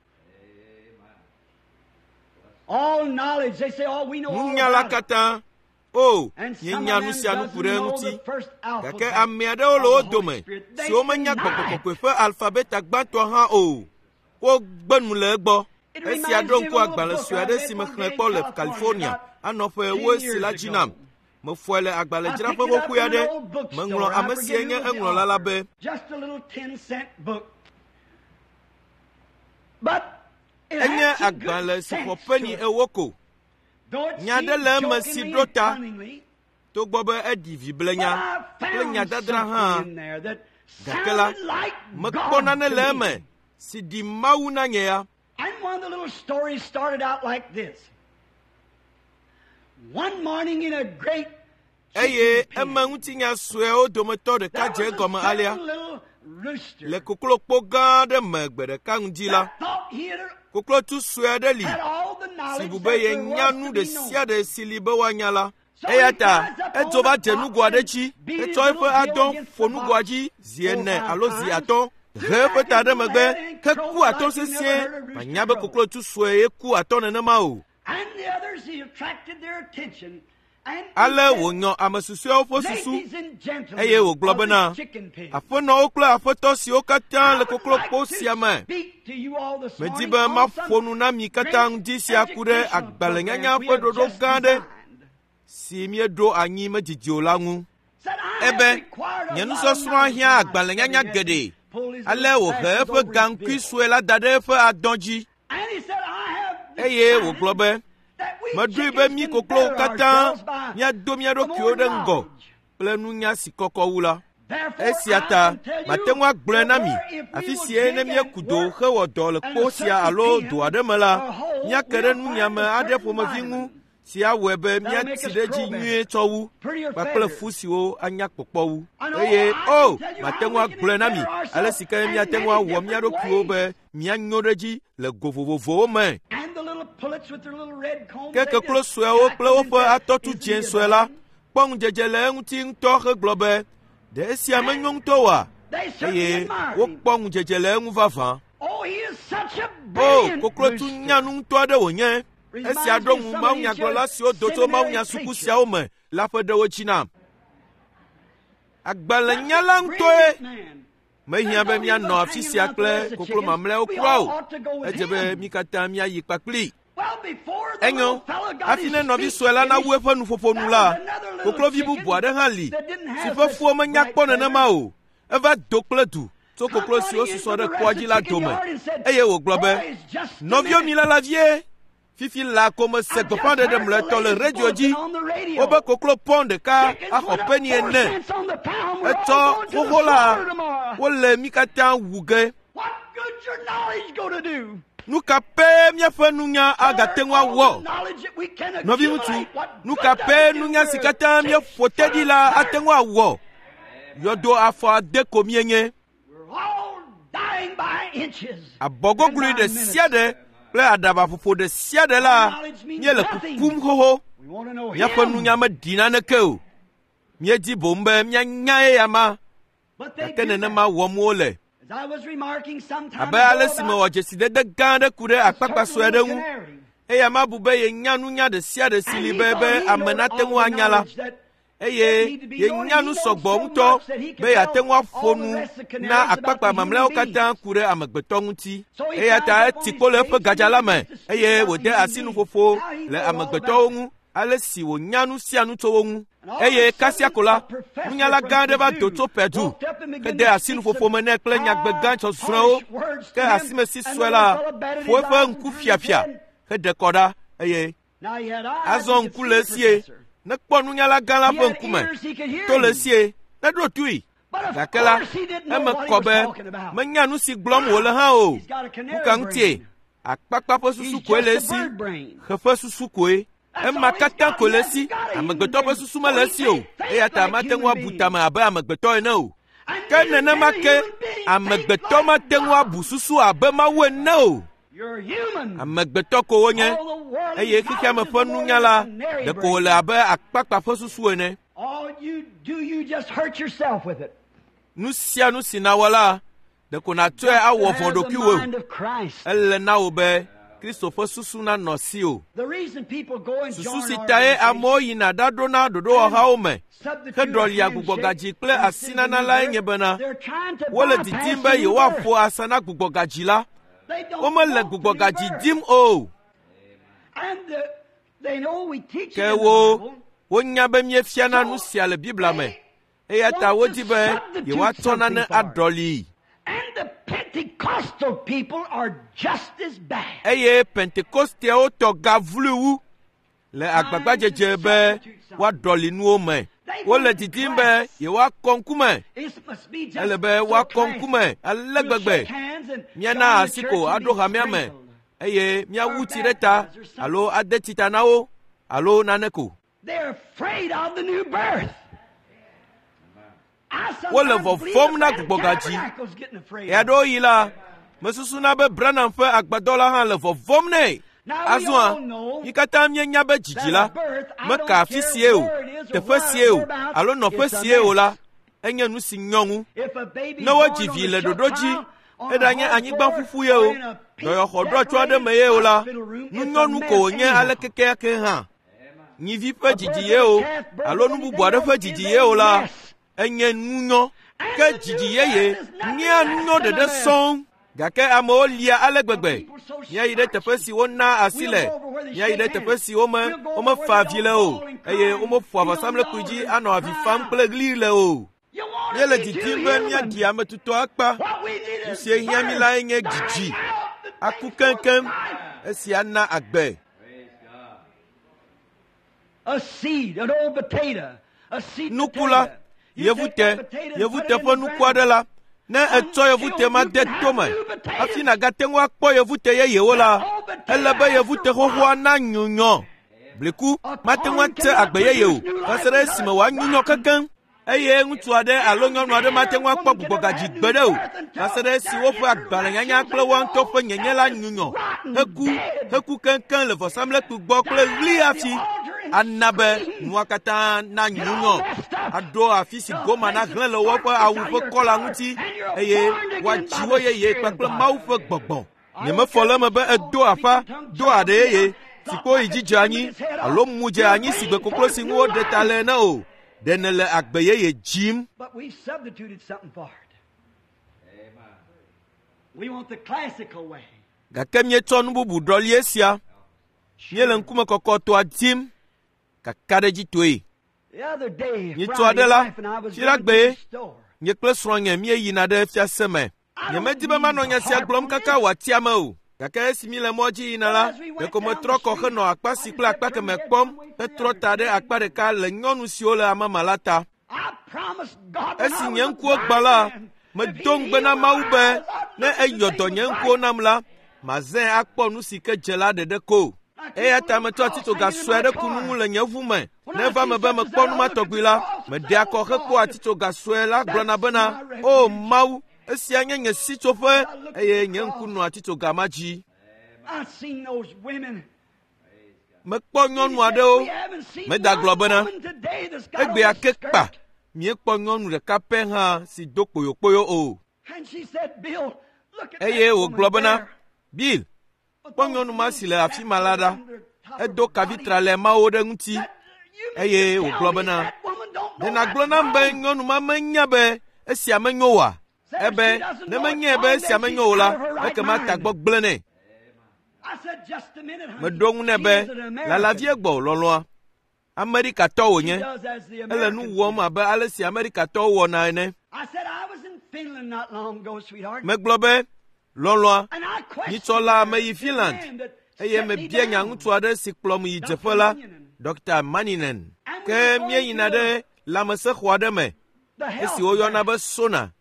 Nunya la katã, o, míenya nu sia nu ku ɖe eŋuti. Gake ame aɖewo le wo dome siwo menya gbɔgbɔ kɔkɔe ƒe alfabeta gbãtɔ hã o. Wogbe nu le egbɔ. Esia ɖo ŋku agbalẽ sue aɖe si mexlẽ kpɔ le California anɔ ƒe ewo si la dzi nam. Mefɔe le agbalẽdzraƒe xoxoe aɖe. Meŋlɔ ame sie nye eŋlɔla la be. Enye agbalẽ si xɔ peni ewo ko. Nya aɖe le eme si ɖo ta, togbɔ be eɖi viblenya kple nyadadra hã, gake la, mekpɔ nane le eme si ɖi Mawu na nye ya. And one of the little stories started out like this. One morning in a great Eye eme ŋutinya suewo dometɔ ɖeka dze egɔme alea. Le koklokpo gã aɖe me gbe ɖeka ŋdi la, koklotu sue aɖe li si bu be yenya nu ɖe sia ɖe si li be woanya la. Eya ta edzo va dze nugo aɖe dzi, etsɔ eƒe adɔ ƒo nugoa dzi zi ene alo zi atɔ̃, he eƒe ta ɖe megbe heku atɔ sesĩe. Manya be koklotu sue ye ku atɔ nenema o. And the others, he attracted their attention. Ale wònyɔ ame susɔeawo ƒe susu eye wògblɔ bena, Aƒenɔwo kple aƒetɔ siwo katã le koklokpo sia me, medi be maƒo nu na mi katã ŋdi sia ku ɖe agbalẽnyanya ƒe ɖoɖo gã aɖe si míeɖo anyi medidi o la ŋu. Ebe, nye nusɔsrɔ̃a hiã agbalẽnyanya geɖe. Ale wòhe eƒe gaŋkui sue la da ɖe eƒe adɔ dzi eye wògblɔ be, meɖoe be mí koklowo katã míado mía ɖokuiwo ɖe ŋgɔ kple nunya si kɔkɔ wu la. Esia ta mate ŋu agblɔe na mi afi sie ne míeku do hewɔ dɔ le kpo sia alo do aɖe me la, míake ɖe nunyiame aɖe ƒomevi ŋu si awɔe be míatsi ɖe edzi nyuie tsɔ wu kpakple fu siwo anya kpɔkpɔ wu. Eye o, mate ŋu agblɔe na mi ale si ke míate ŋu awɔ mía ɖokuiwo be míanyo ɖe edzi le go vovovowo me. Ke keklo suewo kple woƒe atɔtu dzẽ sue la kpɔ ŋudzedze le eŋuti ŋutɔ hegblɔ be, ɖe esia menyo ŋutɔ oa? Eye wokpɔ ŋudzedze le eŋu vavã. O, koklotu nyanu ŋutɔ aɖe wònye. Esia ɖo ŋu mawunyagblɔla siwo do tso mawunyasuku siawo me la ƒe ɖewo dzi nam. Agbalẽnyala ŋutɔe. Mehiã be míanɔ afi sia kple koklo mamlɛawo kura o. Edze be mí katã míayi kpakplii. Enyo, hafi ne nɔvi sue la nawu eƒe nuƒoƒo nu la, koklovi bubu aɖe hã li si ƒe fuwo menya kpɔ nenema o. Eva do kple du tso koklo siwo susɔ ɖe kpoa dzi la dome eye wògblɔ be, Nɔviwo mi lala vie, fifi laa ko mese gbeƒãɖeɖe mlɔetɔ le radio dzi wobe koklo pɔn ɖeka axɔ peni ene. Etsɔ xoxo la, wole mí katã wu ge. Nu ka pɛ míaƒe nunya agate ŋu awɔ? Nɔviŋutsu, nu ka pɛ nunya si katã míeƒo te ɖi la ate ŋu awɔ? Yɔdo afɔ ade ko míenye. Abɔgoglui ɖe sia ɖe kple aɖabaƒoƒo ɖe sia ɖe la, míele kukum xoxo. Míaƒe nunya meɖi naneke o. Míedi boŋ be míanya eya ma, gake nenema wɔm wole. Abe ale si mewɔ dzesidede gã aɖe ku ɖe akpakpa sue aɖe ŋu, eya ma bu be yenya nunya ɖe sia ɖe si li be be ame nate ŋu anya la, eye yenya nu sɔgbɔ ŋutɔ be yeate ŋu aƒo nu na akpakpa mamlɛawo katã ku ɖe amegbetɔ ŋuti. Eya ta eti kpo le eƒe gadza la me eye wòde asi nuƒoƒo le amegbetɔwo ŋu ale si wònya nu sia nu tso wo ŋu. Eye kasia ko la, nunyala gã aɖe va do tso Pɛdu hede asi nuƒoƒo me nɛ kple nyagbe gã tsɔsrɔ̃ewo. Ke asimesi sue la ƒo eƒe ŋku fiafia heɖe kɔ ɖa eye azɔ ŋku le esie nekpɔ nunyala gã la ƒe ŋkume, to le esie neɖo toe. Gake la, eme kɔ be menya nu si gblɔm wòle hã o. Nu ka ŋutie? Akpakpa ƒe susu koe le esi, xe ƒe susu koe. Ema katã koe le esi. Amegbetɔ ƒe susu mele esi o, eya ta mate ŋu abu tame abe amegbetɔ ene o. Ke nenema ke amegbetɔ mate ŋu abu susu abe Mawu ene o. Amegbetɔ ko wonye, eye xexeame ƒe nunya la ɖeko wòle abe akpakpa ƒe susu ene. Nu sia nu si nàwɔ la, ɖeko nàtsɔe awɔ vɔ̃ ɖokuiwòe. Ele na wò be Kristo ƒe susu nanɔ asiwò. Susu si tae amewo yina ɖaɖona ɖoɖowɔhawo me heɖɔlia gbugbɔgadzi kple asinana lae nye bena wole didim be yewoaƒo asa na gbugbɔgadzi la. Womele gbugbɔgadzi dim o. Ke wo wonya be míefiana nu sia le Biblia me, eya ta wodi be yewoatsɔ nane aɖɔlii. Eye Pentekosteawo tɔ gavloe wu le agbagbadzedze be woaɖɔli nuwo me. Wole didim be yewoakɔ ŋkume. Ele be woakɔ ŋkume ale gbegbe. Míana asi ko aɖo hamea me eye míawu tsi ɖe ta alo ade tsi ta na wo alo nane ko. Wole vɔvɔ̃m na gbugbɔgadzi. Ɣeaɖewoɣi la, mesusuna be Branham ƒe agbadɔ la hã le vɔvɔ̃m nɛ. Azɔa, mí katã míenya be dzidzi la meka afi sie o, teƒe sie o, alo nɔƒe sie o la, enye nu si nyɔ ŋu. Ne wodzi vi le ɖoɖo dzi, eɖanye anyigba ƒuƒu ye o, dɔyɔxɔ ɖɔtso aɖe me ye o la, nunyɔnu ko wònye ale kekeake hã. Nyivi ƒe dzidzi ye o, alo nu bubu aɖe ƒe dzidzi ye o la, enye nunyɔ. Ke dzidzi yeye nyea nunyɔ ɖeɖe sɔŋ. Gake amewo lia ale gbegbe. Míayi ɖe teƒe si wona asi le, míayi ɖe teƒe si wome womefa avi le o, eye womeƒoa vɔsamlekpui dzi anɔ avi fam kple ɣli le o. Míele didim be míaɖi ame tutɔ akpa. Nu si hiã mí lae nye dzidzi, aku keŋkeŋ. Esia na agbe. Nuku la, Yevute, yevute ƒe nuku aɖe la, ne ètsɔ yevute ma de tome hafi nàgate ŋu akpɔ yevute yeyewo la, ele be yevute xoxoa nanyunyɔ. Bliku mate ŋu ate agbe yeye o va se ɖe esime wòanyunyɔ kekeŋ. Eye ŋutsu aɖe alo nyɔnu aɖe mate ŋu akpɔ gbugbɔgadzi gbeɖe o va se ɖe esi woƒe agbalẽnyanya kple woa ŋutɔ ƒe nyenye la nyunyɔ heku heku keŋkeŋ le vɔsamlekpui gbɔ kple ɣli hafi ana be nua katã nanyunyɔ aɖo afi si goma nahlẽ le woƒe awu ƒe kɔla ŋuti eye woadzi wo yeye kpakple Mawu ƒe gbɔgbɔ. Nyemefɔ le eme be edo aƒa, do aɖe yeye, si kpo yi dzi dze anyi alo mu dze anyi si gbe koklo si ŋu woɖe ta le ene o. Ɖe nèle agbe yeye dzim. But we've substituted something for it. We want the classical way. Gake míetsɔ nu bubu ɖɔli esia. Míele ŋkume kɔkɔtɔa dim kakaɖedzitɔe. The other day, Nyitsɔ Friday, aɖe la, wife and I was fiɖa going to gbee. the store. Nye kple srɔ̃nye míeyina ɖe fiase me. Nyemedi be manɔ nya sia gblɔm kaka wòati ame o. Gake esi míle mɔ dzi yina la, ɖeko metrɔ kɔ henɔ akpa si kple akpa kemɛ kpɔm hetrɔ ta ɖe akpa ɖeka le nyɔnu siwo le amama la ta. I promised God when Esi I nye was a ŋkuwo gbã la, blind man, medo if he ŋugbe na healed Mawu my be eyes, I'd ne look at eyɔ the dɔ thing nye was ŋkuwo right. nam la, mazãe akpɔ nu si ke dze la ɖeɖe ko. Eya ta metsɔ atitsoga sue aɖe ku nu ŋu le nye ʋu me. Ne eva me be mekpɔ nu ma tɔgbi la, meɖea kɔ hekpɔa atitsoga sue la gblɔna bena, “O Mawu, esia nye nye sitsoƒe eye nye ŋku nɔa atitsoga ma dzi.” I've seen those women. Mekpɔ nyɔnu aɖewo We haven't seen medagblɔ one bena, woman today that's got on egbea a ke kpa skirt. míekpɔ nyɔnu ɖeka pɛ hã si do kpoyokpoyo o. And she said, Bill, look at Eye that wògblɔ woman bena, there. “Bill, With kpɔ those nyɔnu ma si le little afi ma la ɖa. under top of Edo her kavi body. tralɛ mawo ɖe ŋuti. That- you mean Eye to wògblɔ tell me bena, that woman don't Ɖe know nàgblɔ that's nam be wrong? nyɔnu ma menya be esia menyo oa? Said if Ebe she doesn't ne know menyae it's be wrong, esia then menyo she's o la, out of her right ekema mind. tagbɔ gblẽ nɛ. I said, just a minute, honey. Meɖo ŋu nɛ She be is an American. lalavie gbɔ lɔlɔ̃a. Amerikatɔ She wònye. does as the Ele nu Americans wɔm do. abe ale si Amerikatɔwo wɔna ene. I said, I was in Finland not long ago, sweetheart. Megblɔ be, lɔlɔ̃a, And I questioned nyitsɔ la her, meyi the Finland man that eye set me mebia nya down. ŋutsu aɖe si kplɔm yi dzeƒe la, Dr. Maninen. And we Ke were going míeyina to ɖe lãmesẽxɔ aɖe me the esi health woyɔna there. be Sona.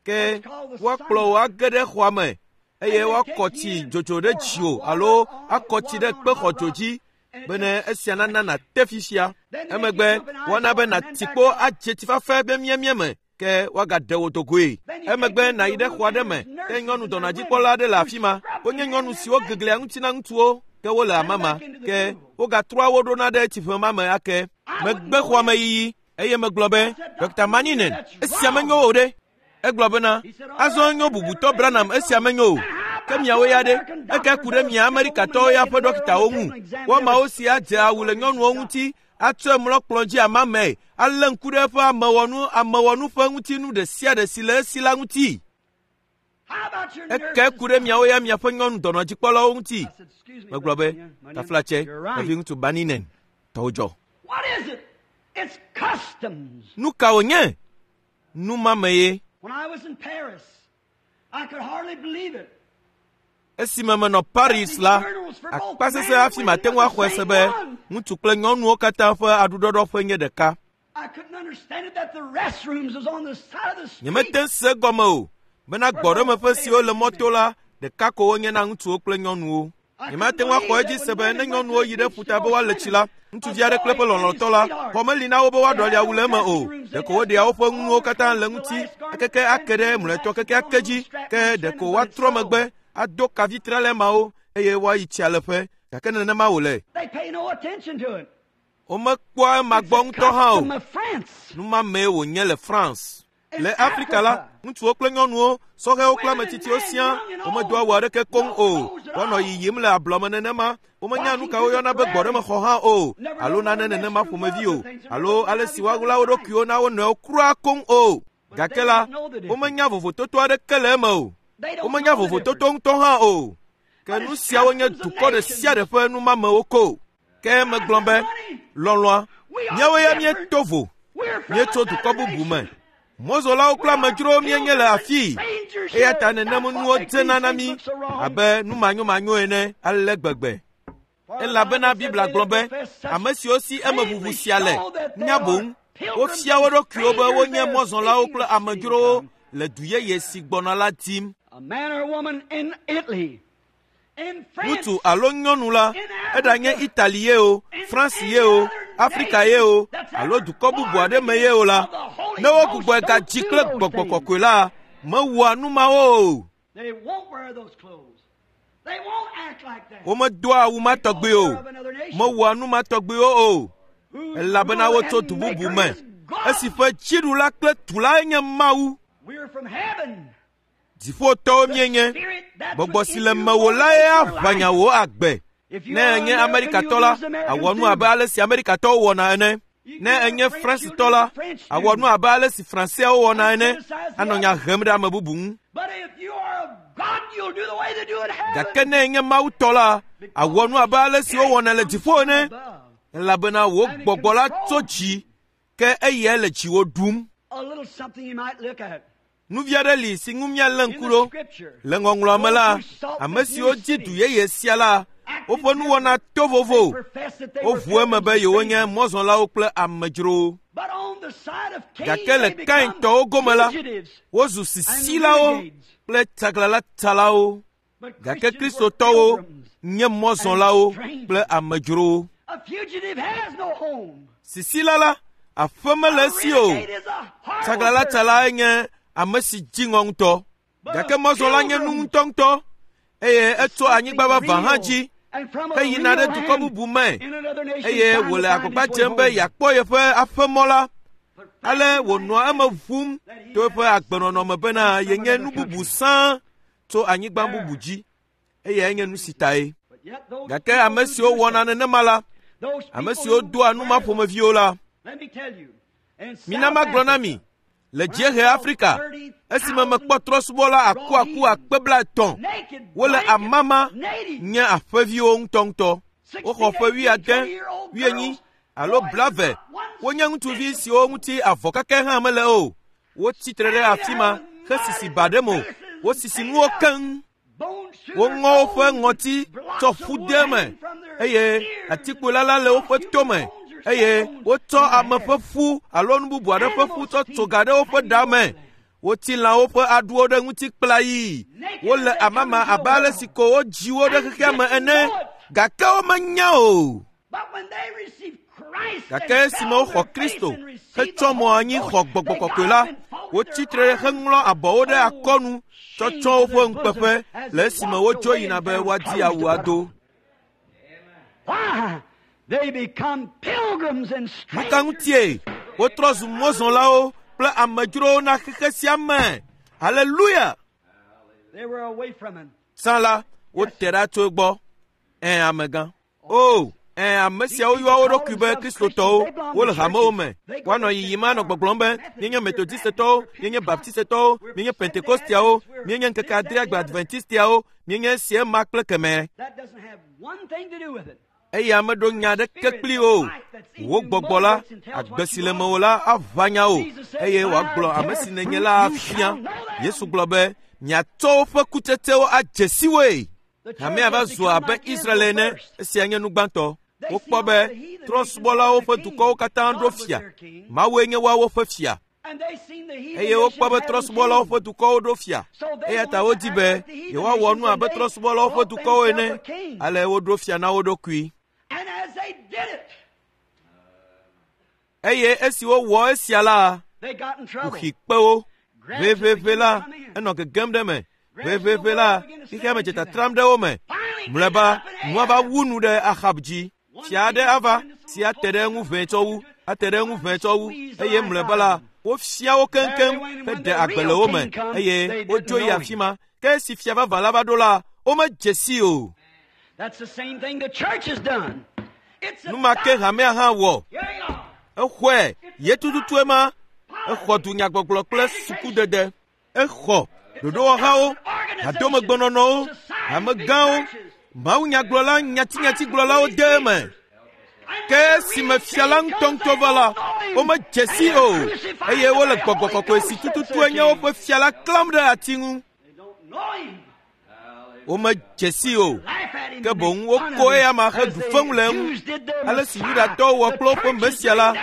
Ke woakplɔ wò age ɖe xɔa me eye woakɔ tsi dzodzo ɖe dziwò alo akɔ tsi ɖe kpexɔdzo dzi bene esia nana nàte fifia. Emegbe woana be nàti kpo adze tsi fafɛ be miemie me ke woagaɖe wò dogoe. Emegbe nàyi ɖe xɔ aɖe me ke nyɔnu dɔnɔdzikpɔla aɖe le afi ma. Wonye nyɔnu siwo geglia ŋuti na ŋutsuwo ke wole amama ke wogatrɔa wo ɖona ɖe tsiƒe ma me ake. Megbe xɔa me yiyi eye megblɔ be, Dr. Maninen, esia menyo o ɖe. Egblɔ bena, azɔ enyo bubutɔ Branham esia menyo o. Ke miawo ya ɖe, eke ku ɖe mia Amerikatɔwo ya ƒe ɖɔkitawo ŋu. Woamawo si adze awu le nyɔnuwo ŋuti, atsɔe mlɔ kplɔ̃ dzi amamae, alé ŋku ɖe eƒe amewɔnu amewɔnu ƒe ŋutinu ɖe sia ɖe si le esi la ŋuti. How about your Eke nurses? ku ɖe miawo ya miaƒe nyɔnu dɔnɔdzikpɔlawo ŋuti. I said, excuse me, Megblɔ Brother be, Mannion, Mannion, taflatse, you're right. nɔviŋutsu Baninen, tɔwò dzɔ. What is it? It's customs. Nu ka wònye? Nu ma me ye. When I was in Paris, I could hardly believe it. Esime menɔ Paris la, akpa sesẽ hafi mate ŋu axɔe se be ŋutsu kple nyɔnuwo katã ƒe aɖuɖɔɖɔƒe nye ɖeka. I couldn't understand it that the restrooms was on the side of the street. Nyemete ŋu se egɔme o bena gbɔɖemeƒe siwo le mɔto la ɖeka ko wonye na ŋutsuwo kple nyɔnuwo. Nyemate ŋu axɔ edzi se be ne nyɔnuwo yi ɖe ƒuta be woale tsi la, ŋutsuvi aɖe kple eƒe lɔlɔ̃tɔ la, xɔ meli na wo be woaɖɔli awu le eme o. Ɖeko woɖea woƒe nuwo katã le ŋuti ekeke ake ɖe mlɔetɔ kekeake dzi ke ɖeko woatrɔ megbe ado kavi tralɛ mawo eye woayi tsia leƒe gake nenema wòle. They pay no attention to it. Womekpɔa ema It's gbɔ a ŋutɔ hã o. custom of France. Nu ma mee wònye le France. In Le Afrika la, Africa, ŋutsuwo kple nyɔnuwo, sɔhɛwo kple women ame and tsitsiwo men, siaa, young and womedo old, awu aɖeke koŋ no o. clothes at Woanɔ all. yiyim le ablɔme nenema. Womenya nu Walking ka through the woyɔna be prairie, gbɔɖemexɔ hã o, never alo know what nane a nenema restroom ƒomevi was or o, things are alo never ale have si each other woaɣla wo sight. ɖokuiwo na wo nɔewo kura koŋ o. But Gake they la, don't know the difference. womenya vovototo aɖeke le eme o. They don't Womenya know the vovototo difference. ŋutɔ hã o. Ke But nu it's siawo nye customs of dukɔ ɖe sia ɖe nations. ƒe numamewo ko. Ke I megblɔ said, be, honey, lɔlɔ̃a, we are míawo ya different. míeto vo. We're from Míetso another dukɔ bubu me. nation. Mɔzɔlawo We kple are amedzrowo míenye le pilgrims and afii. strangers Eya here. ta nenem That's what nuwo makes dzena these na things mí look so wrong. abe nu manyomanyo ene ale gbegbe. For the Elabena Bible said Biblia they gblɔ that be confess such ame siwo si emeʋuʋu plainly sia le show that they nya are boŋ Wofia wo ɖokuiwo be wonye mɔzɔlawo kple amedzrowo le du yeye si gbɔna la dim. Ŋutsu alo nyɔnu la, eɖanye Itali ye o, France ye o, Afrika ye o, alo dukɔ bubu aɖe me ye o la, ne wogbugbɔe gadzi kple gbɔgbɔ kɔkɔe la, mewɔa nu mawo o. Womedoa awu ma tɔgbi o, mewɔa nu ma tɔgbiwo o, elabena wotso du bubu me, esi ƒe dziɖula kple tulae nye Mawu. Dziƒotɔwo míenye. Gbɔgbɔ si le mewò lae aʋã nya wò agbe. Ne ènye Amerikatɔ la, àwɔ nu abe ale si Amerikatɔwo wɔna ene. Ne ènye Fransitɔ la, àwɔ nu abe ale si Franseawo wɔna ene, anɔ nya hem ɖe ame bubu ŋu. Gake ne ènye Mawu tɔ la, àwɔ nu abe ale si wowɔna le dziƒo ene, elabena wò gbɔgbɔ la tso dzi, ke eyae le dziwò ɖum. Nu vi aɖe li si ŋu míalé ŋku ɖo. Le ŋɔŋlɔa me la, ame siwo dzi du yeye sia la, woƒe nuwɔna to vovo. Woʋu eme be yewonye mɔzɔlawo kple amedzrowo. Gake le Kaintɔwo gome la, wozu sisilawo kple tsaglãlatsalawo. Gake Kristotɔwo nye mɔzɔlawo kple amedzrowo. Sisila la, aƒe mele esi o. Tsaglãlatsalae nye ame si dzi ŋɔ ŋutɔ. Gake mɔzɔla nye nu ŋutɔŋutɔ eye etso anyigba vavã hã dzi heyina ɖe dukɔ bubu me eye wòle agbagba dzem be yeakpɔ yeƒe aƒemɔ la. Ale wònɔa eme ʋum to eƒe agbenɔnɔ me bena yenye nu bubu sãa tso anyigba bubu dzi eyae nye nu si tae. Gake ame siwo wɔna nenema la, ame siwo doa nu ma ƒomeviwo la, mina magblɔ na mi, le dziehe Afrika, esime mekpɔ trɔ̃subɔla akuaku akpe 30, wole amama nye aƒeviwo ŋutɔŋutɔ. Woxɔ ƒe 70, 80 alo 70. Wonye ŋutsuvi siwo ŋuti avɔ kake hã mele o. Wotsi tre ɖe afi ma hesisi ba ɖe mo. Wosisi nuwo keŋ. Woŋɔ woƒe ŋɔti tsɔ ƒu de eme eye atikpola la le woƒe tome eye wotsɔ ame ƒe ƒu alo nu bubu aɖe ƒe ƒu tsɔ tso ga ɖe woƒe ɖa me. Wotsi lãwo ƒe aɖuwo ɖe ŋuti kplayii. Wole amama abe ale si ko wodzi wo ɖe xexea me ene gake womenya o. Gake esime woxɔ Kristo hetsɔ mɔ anyi xɔ gbɔgbɔ kɔkɔe la, wotsi tre heŋlɔ abɔwo ɖe akɔnu tsɔ tsɔ woƒe ŋukpeƒe le esime wodzo yina be woadi awu ado. Nu ka ŋutie wotrɔ zu mɔzɔlawo kple amedzrowo na xexe sia me? Haleluya! Tsã la, wote ɖa tso egbɔ. Ẽ, amegã. O, ẽ, ame siawo yɔa wo ɖokui be Kristotɔwo, wole hamewo me. Woanɔ yiyim anɔ gbɔgblɔm be, míenye Metodistetɔwo, míenye Baptistetɔwo, míenye Pentekostiawo, míenye ŋkeke adrea gbe Adventistiawo, míenye esia ema kple kemɛ. Eya meɖo nya aɖeke kpli o. Wò gbɔgbɔ la, agbe si le mewò la aʋã nya wò eye wòagblɔ ame si nènye la afia. Yesu gblɔ be, miatsɔ woƒe kutsetsewo adze si woe. Hamea va zu abe Israel ene, esia nye nu gbãtɔ. Wokpɔ be trɔ̃subɔlawo ƒe dukɔwo katã ɖo fia. Mawue nye woawo ƒe fia. Eye wokpɔ be trɔ̃subɔlawo ƒe dukɔwo ɖo fia. Eya ta wodi be yewoawɔ nu abe trɔ̃subɔlawo ƒe dukɔwo ene. Ale woɖo fia na wo ɖokui. Eye esi wowɔ esia la, kuxi kpe wo. Ʋeʋeʋe la, enɔ gegem ɖe eme. Ʋeʋeʋe la, xexea me dze tatram ɖe wo me. Mlɔeba, nua va wu nu ɖe Ahab dzi. Fia aɖe ava si ate ɖe eŋu ʋɛe tsɔ wu, ate ɖe eŋu ʋɛe tsɔ wu eye mlɔeba la, wofia wo keŋkeŋ heɖe agbe le wo me eye wodzo yi afi ma. Ke esi fia vavã la va ɖo la, womedze sii o. Nu ma ke hamea hã wɔ. Exɔe ye tututu ema. Exɔ dunyagbɔgblɔ kple sukudede. Exɔ ɖoɖowɔhawo, hadomegbenɔnɔwo, hamegãwo, mawunyagblɔla nyatinytigblɔlawo de eme. Ke esime fia la ŋutɔŋutɔ va la, womedze si o eye wole gbɔgbɔ kɔkɔe si tututue nye woƒe fia la klãm ɖe ati ŋu. Womedze si o. Ke boŋ woko eya heɖu fewu le eŋu. Ale si Yudatɔwo wɔ kple woƒe Mesia la,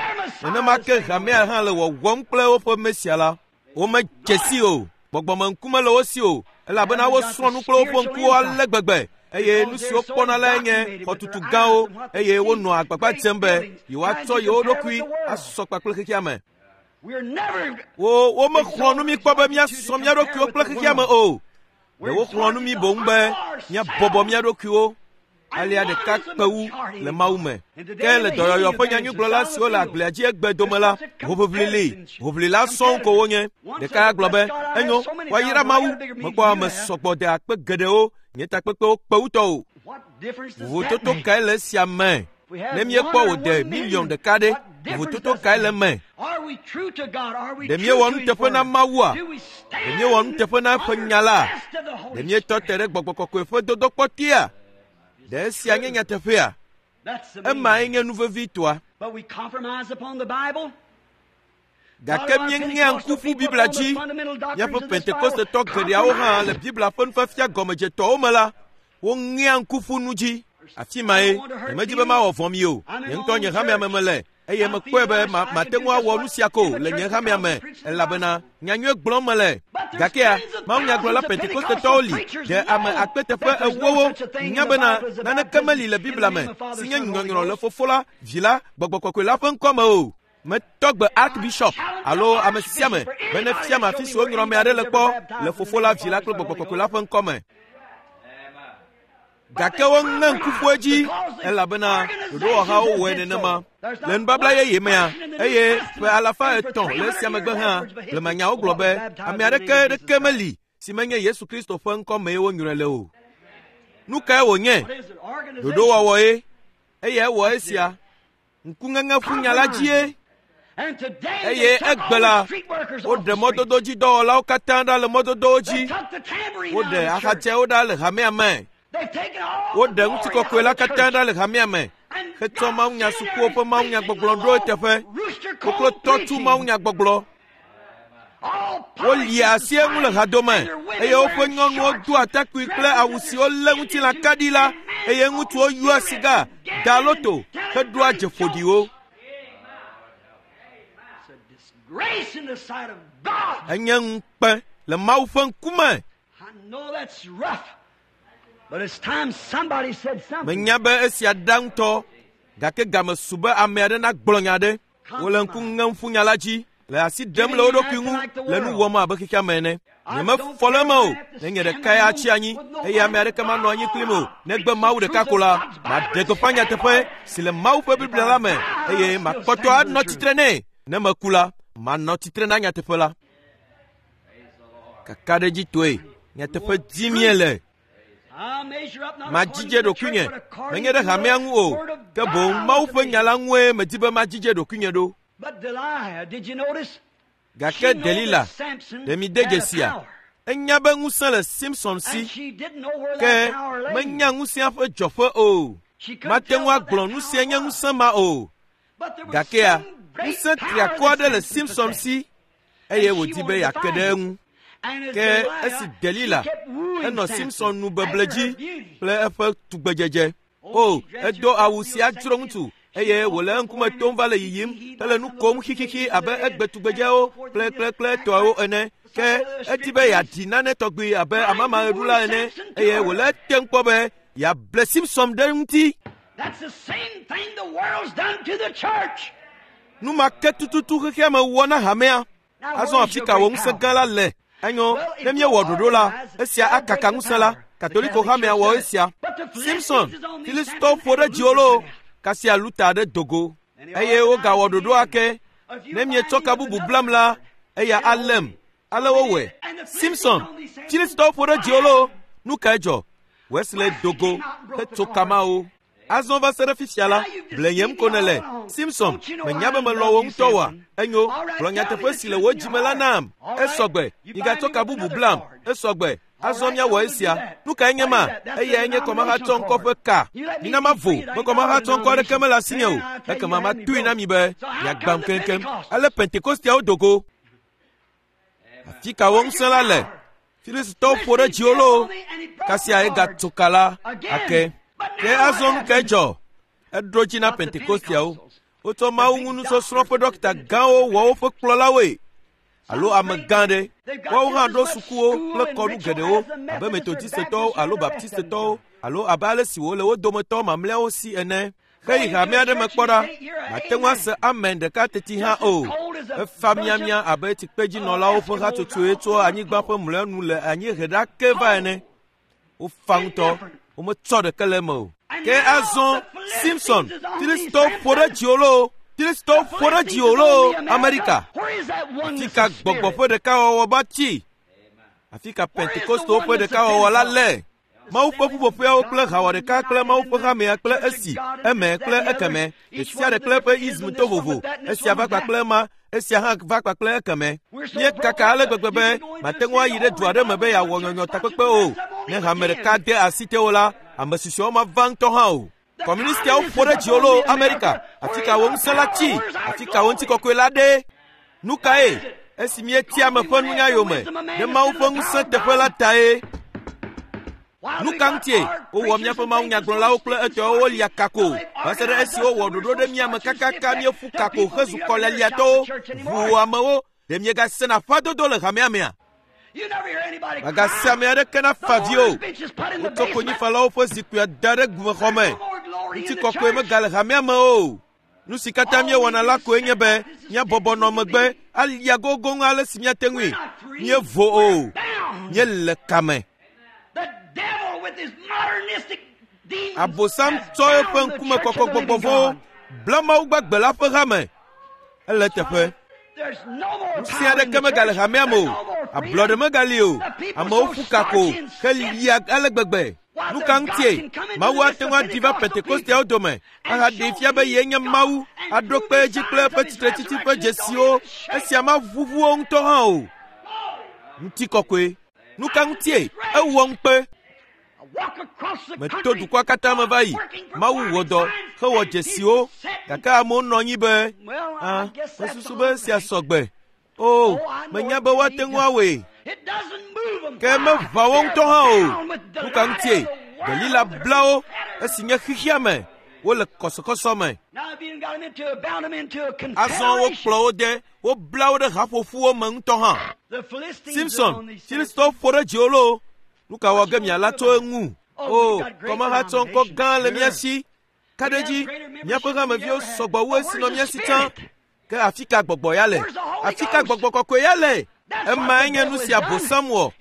nenema ke hamea hã le wɔwɔm kple woƒe Mesia la. Womedze si o, gbɔgbɔmeŋkume le wo si o, elabena wosrɔ̃ nu kple woƒe ŋkuwo ale gbegbe eye nu siwo kpɔna lae nye xɔtutu gãwo eye wonɔa agbagba dzem be yewoatsɔ yewo ɖokui asɔ kpakple xexea me. Wo womexlɔ̃ nu mí kpɔ be míasɔ mía ɖokuiwo kple xexea me o. Ɖe woxlɔ̃ nu mí boŋ be míabɔbɔ mía ɖokuiwo alea ɖeka kpe wu le Mawu me. Ke le dɔyɔyɔ ƒe nyanyuigblɔla siwo le agblea dzi egbe dome la, hoʋiʋli li, hoʋlila sɔŋ ko wonye. Ɖeka ya gblɔ be, enyo, woayra Mawu, mekpɔ ame sɔgbɔ de akpe geɖewo, nye takpekpewo kpe wu tɔwò. Vovototo kae le esia me? Ne míekpɔ wòde miliɔn ɖeka ɖe, vovototo kae le eme? Ɖe míewɔ nuteƒe na Mawua? Ɖe míewɔ nuteƒe na eƒe nya la? Ɖe míetɔ te ɖe gbɔgbɔ kɔkɔe ƒe dodokpɔ tea? Ɖe esia nye nyateƒea? Emae nye nu vevitɔa. Gake míeŋea ŋku ƒu Biblia dzi. Míaƒe Pentekostetɔ geɖeawo hã le Biblia ƒe nufiafia gɔmedzetɔwo me la, woŋea ŋku ƒu nu dzi. Afi mae nyemedi be mawɔ vɔ̃ mi o. Nye ŋutɔ nye hamea me mele eye mekpɔe be mate ŋu awɔ nu sia ko le nye hamea me elabena nyanyui gblɔm mele. Gakea mawunyagblɔla Pentekostetɔwo li ɖe ame akpe teƒe ewowo nya bena naneke meli le Biblia me si nye nyɔnyrɔ le Fofo la, Vi la, Gbɔgbɔ Kɔkɔe la ƒe ŋkɔ me o. Metɔ gbe Archbishop alo ame sia ame be nefiam afi si wonyrɔ ame aɖe le kpɔ le Fofo la, Vi la kple Gbɔgbɔ Kɔkɔe la ƒe ŋkɔ me. Gake woŋe ŋku ƒu edzi elabena ɖoɖowɔhawo wɔe nenema. Le nubabla yeye mea, eye ƒe alafa etɔ̃ le esia megbe hã, blemanyawo gblɔ be ame aɖeke ɖeke meli si menye Yesu Kristo ƒe ŋkɔ mee wonyrɔe le o. Nu kae wònye? Ɖoɖowɔwɔ ye. Eye ewɔ esia. Ŋkuŋeŋe ƒu nya la dzie. Eye egbe la, woɖe mɔdododzidɔwɔlawo katã ɖa le mɔdodowo dzi. Woɖe axatsɛwo ɖa le hamea me. Woɖe ŋutikɔkɔe la katã ɖa le hamea me hetsɔ mawunyasukuwo ƒe mawunyagbɔgblɔ ɖo eteƒe. Koklotɔ tu mawunyagbɔgblɔ. Wolia asi eŋu le hadome eye woƒe nyɔnuwo doa atakpui kple awu siwo lé ŋutilã kaɖi la eye ŋutsuwo yɔa siga, daa loto heɖoa dze ƒoɖiwo. Enye ŋukpe le Mawu ƒe ŋkume. Menya be esia ɖa ŋutɔ gake game su be ame aɖe nagblɔ nya aɖe. Wole ŋku ŋem ƒu nya la dzi, le asi ɖem le wo ɖokui ŋu, le nu wɔm abe xexea me ene. Nyemefɔ le eme o, ne nye ɖekae atsi anyi eye ame aɖeke manɔ anyi kplim o, negbe Mawu ɖeka ko la, maɖe gbeƒã nyateƒe si le Mawu ƒe Biblia la me eye makpɔtɔ anɔ tsitre nɛ. Ne meku la, manɔ tsitre na nyateƒe la. Kakaɖedzitɔe, nyateƒe dim míele. Madzidze ɖokuinye, menye ɖe hamea ŋu o, ke boŋ Mawu ƒe nya la ŋue medi be madzidze ɖokuinye ɖo. Gake Delila, ɖe mi de dzesia? Enya be ŋusẽ le Simson si, ke menya ŋusẽa ƒe dzɔƒe o. Mate ŋu agblɔ nu sia nye ŋusẽ ma o. Gakea, ŋusẽ triakɔ aɖe le Simson si eye wòdi be yeake ɖe eŋu. Ke esi Delila enɔ Simson nu beble dzi kple eƒe tugbedzedze. O, edo awu sia dzro ŋutsu eye wòle eŋkume tom va le yiyim hele nu kom xixixi abe egbe tugbedzewo kple kple kple tɔawo ene. Ke edi be yeaɖi nane tɔgbi abe amamaɣeɖula ene eye wòle etem kpɔ be yeable Simson ɖe ŋuti. Nu ma ke tututu xexea me wɔ na hamea. Azɔ afi ka wò ŋusẽ gã la le? Enyo, ne míewɔ ɖoɖo la, esia akaka ŋusẽ la. Katoliko hamea wɔ esia. Simson, Filistitɔwo ƒo ɖe dziwò loo, kasia Luta aɖe do go. Eye wogawɔ ɖoɖo ake. Ne mietsɔ ka bubu blam la, eya além. Ale wowɔe. Simson, Filistitɔwo ƒo ɖe dziwò loo, nu kae dzɔ? Wesley do go hetso ka mawo. Azɔ va se ɖe fifia la, blenyem ko nèle. Simson, menya be melɔ̃ wò ŋutɔ oa? Enyo, gblɔ nyateƒe si le wò dzime la nam. Esɔgbe, migatsɔ ka bubu blam. Esɔgbe, azɔ míawɔ esia. Nu kae nye ma? Eyae nye kɔmahatsɔ ŋkɔ ƒe ka. Mina mavo be kɔmahatsɔ ŋkɔ aɖeke mele asinye o. Ekema matoe na mi be miagbam keŋkeŋ. Ale Pentekosteawo do go. Afi ka wò ŋusẽ la le? Filistitɔwo ƒo ɖe dziwò loo, kasia egatso ka la ake. Ke azɔ nu kae dzɔ? Eɖo dzi na Pentekosteawo. Wotsɔ Mawu ŋu nusɔsrɔ̃ ƒe ɖɔkita gãwo wɔ woƒe kplɔlawoe alo ame gã ɖe. Woawo hã ɖo sukuwo kple kɔnu geɖewo abe Metodistetɔwo alo Baptistetɔwo alo abe ale si wòle wo dometɔ mamlɛawo si ene. Heyi hame aɖe me kpɔ ɖa, màte ŋu ase amen ɖeka teti hã o. Efa miamia abe tsikpedzinɔlawo ƒe hatsotsoe tso anyigba ƒe mlɔenu le anyiehe ɖa ke va ene. Wofa ŋutɔ, wometsɔ ɖeke le eme o. Ke azɔ Simpson, Filistitɔwo ƒo ɖe dziwò loo, Filistitɔwo ƒo ɖe dziwò loo, Amerika. Afi ka gbɔgbɔ ƒe ɖekawɔwɔ va tsi? Afi ka Pentekostewo ƒe ɖekawɔwɔ la le? Mawu ƒe ƒuƒoƒeawo kple hawɔ ɖeka kple Mawu ƒe hamea kple esi, eme kple ekeme, ɖe sia ɖe kple eƒe ism to vovo, esia va kpakple ema, esia hã va kpakple ekeme. Míekaka ale gbegbe be màte ŋu ayi ɖe du aɖe me be yeawɔ nyɔnyɔ takpekpe o. Ne hame ɖeka de asi tewò la, ame susɔewo mava ŋutɔ hã o. Kɔmunistiawo ƒo ɖe dziwò loo, Amerika. Afi ka wò ŋusẽ la tsi? Afi ka wò ŋutikɔkɔe la ɖe? Nu kae? Esi míetia ame ƒe nunya yome ɖe Mawu ƒe ŋusẽ teƒe la tae. Nu ka ŋutie wowɔ míaƒe mawunyagblɔlawo kple etɔwo wolia kako va se ɖe esi wowɔ ɖoɖo ɖe mía me kakaka míeƒu kako hezu kɔlialiatɔwo, ʋuu amewo? Ɖe miegasena ƒãdodo le hamea mea? Mègase ame aɖeke nafa vi o. Wotsɔ konyifalawo ƒe zikpuia da ɖe gumexɔ me. Ŋutikɔkɔe megale hamea me o. Nu si katã míewɔna la koe nye be míabɔbɔ nɔ megbe alia gogoŋ ale si míate ŋui. Míevo o. Míele kame. Abosam tsɔ eƒe ŋkumekɔkɔ gbɔgbɔ vɔ̃wo bla Mawu gbagbe la ƒe hame. Ele eteƒe. Ŋusẽ aɖeke megale hamea me o. Ablɔɖe megali o. Amewo ƒu kako helia ale gbegbe. Nu ka ŋutie Mawu ate ŋu aɖi va Pentekosteawo dome ahaɖee fia be yee nye Mawu, aɖo kpe edzi kple eƒe tsitretsitsi ƒe dzesiwo? Esia maʋuʋu wo ŋutɔ hã o. Ŋutikɔkɔe. Nu ka ŋutie ewɔ ŋukpe? Meto dukɔa katã me va yi. Mawu wɔ dɔ hewɔ dzesiwo, gake amewo nɔ anyi be, ah, mesusu be esia sɔgbe. O, menya be woate ŋu awɔe. Ke meʋã wo ŋutɔ hã o. Nu ka ŋutie? Delila bla wo esi nye xexea me. Wole kɔsɔkɔsɔ me. Azɔ wokplɔ wo de, wobla wo ɖe haƒoƒuwo me ŋutɔ hã. Simson, Filistitɔwo ƒo ɖe dziwò loo. Nu ka wɔ ge miala tso eŋu? O, kɔmahatsɔ ŋkɔ gã le mía si. Ka ɖe edzi, míaƒe hameviwo sɔgbɔ wu esi nɔ mía si tsã. Ke afi ka gbɔgbɔ ya le? Afi ka gbɔgbɔ kɔkɔe ya le? Emae nye nu si Abosam wɔ.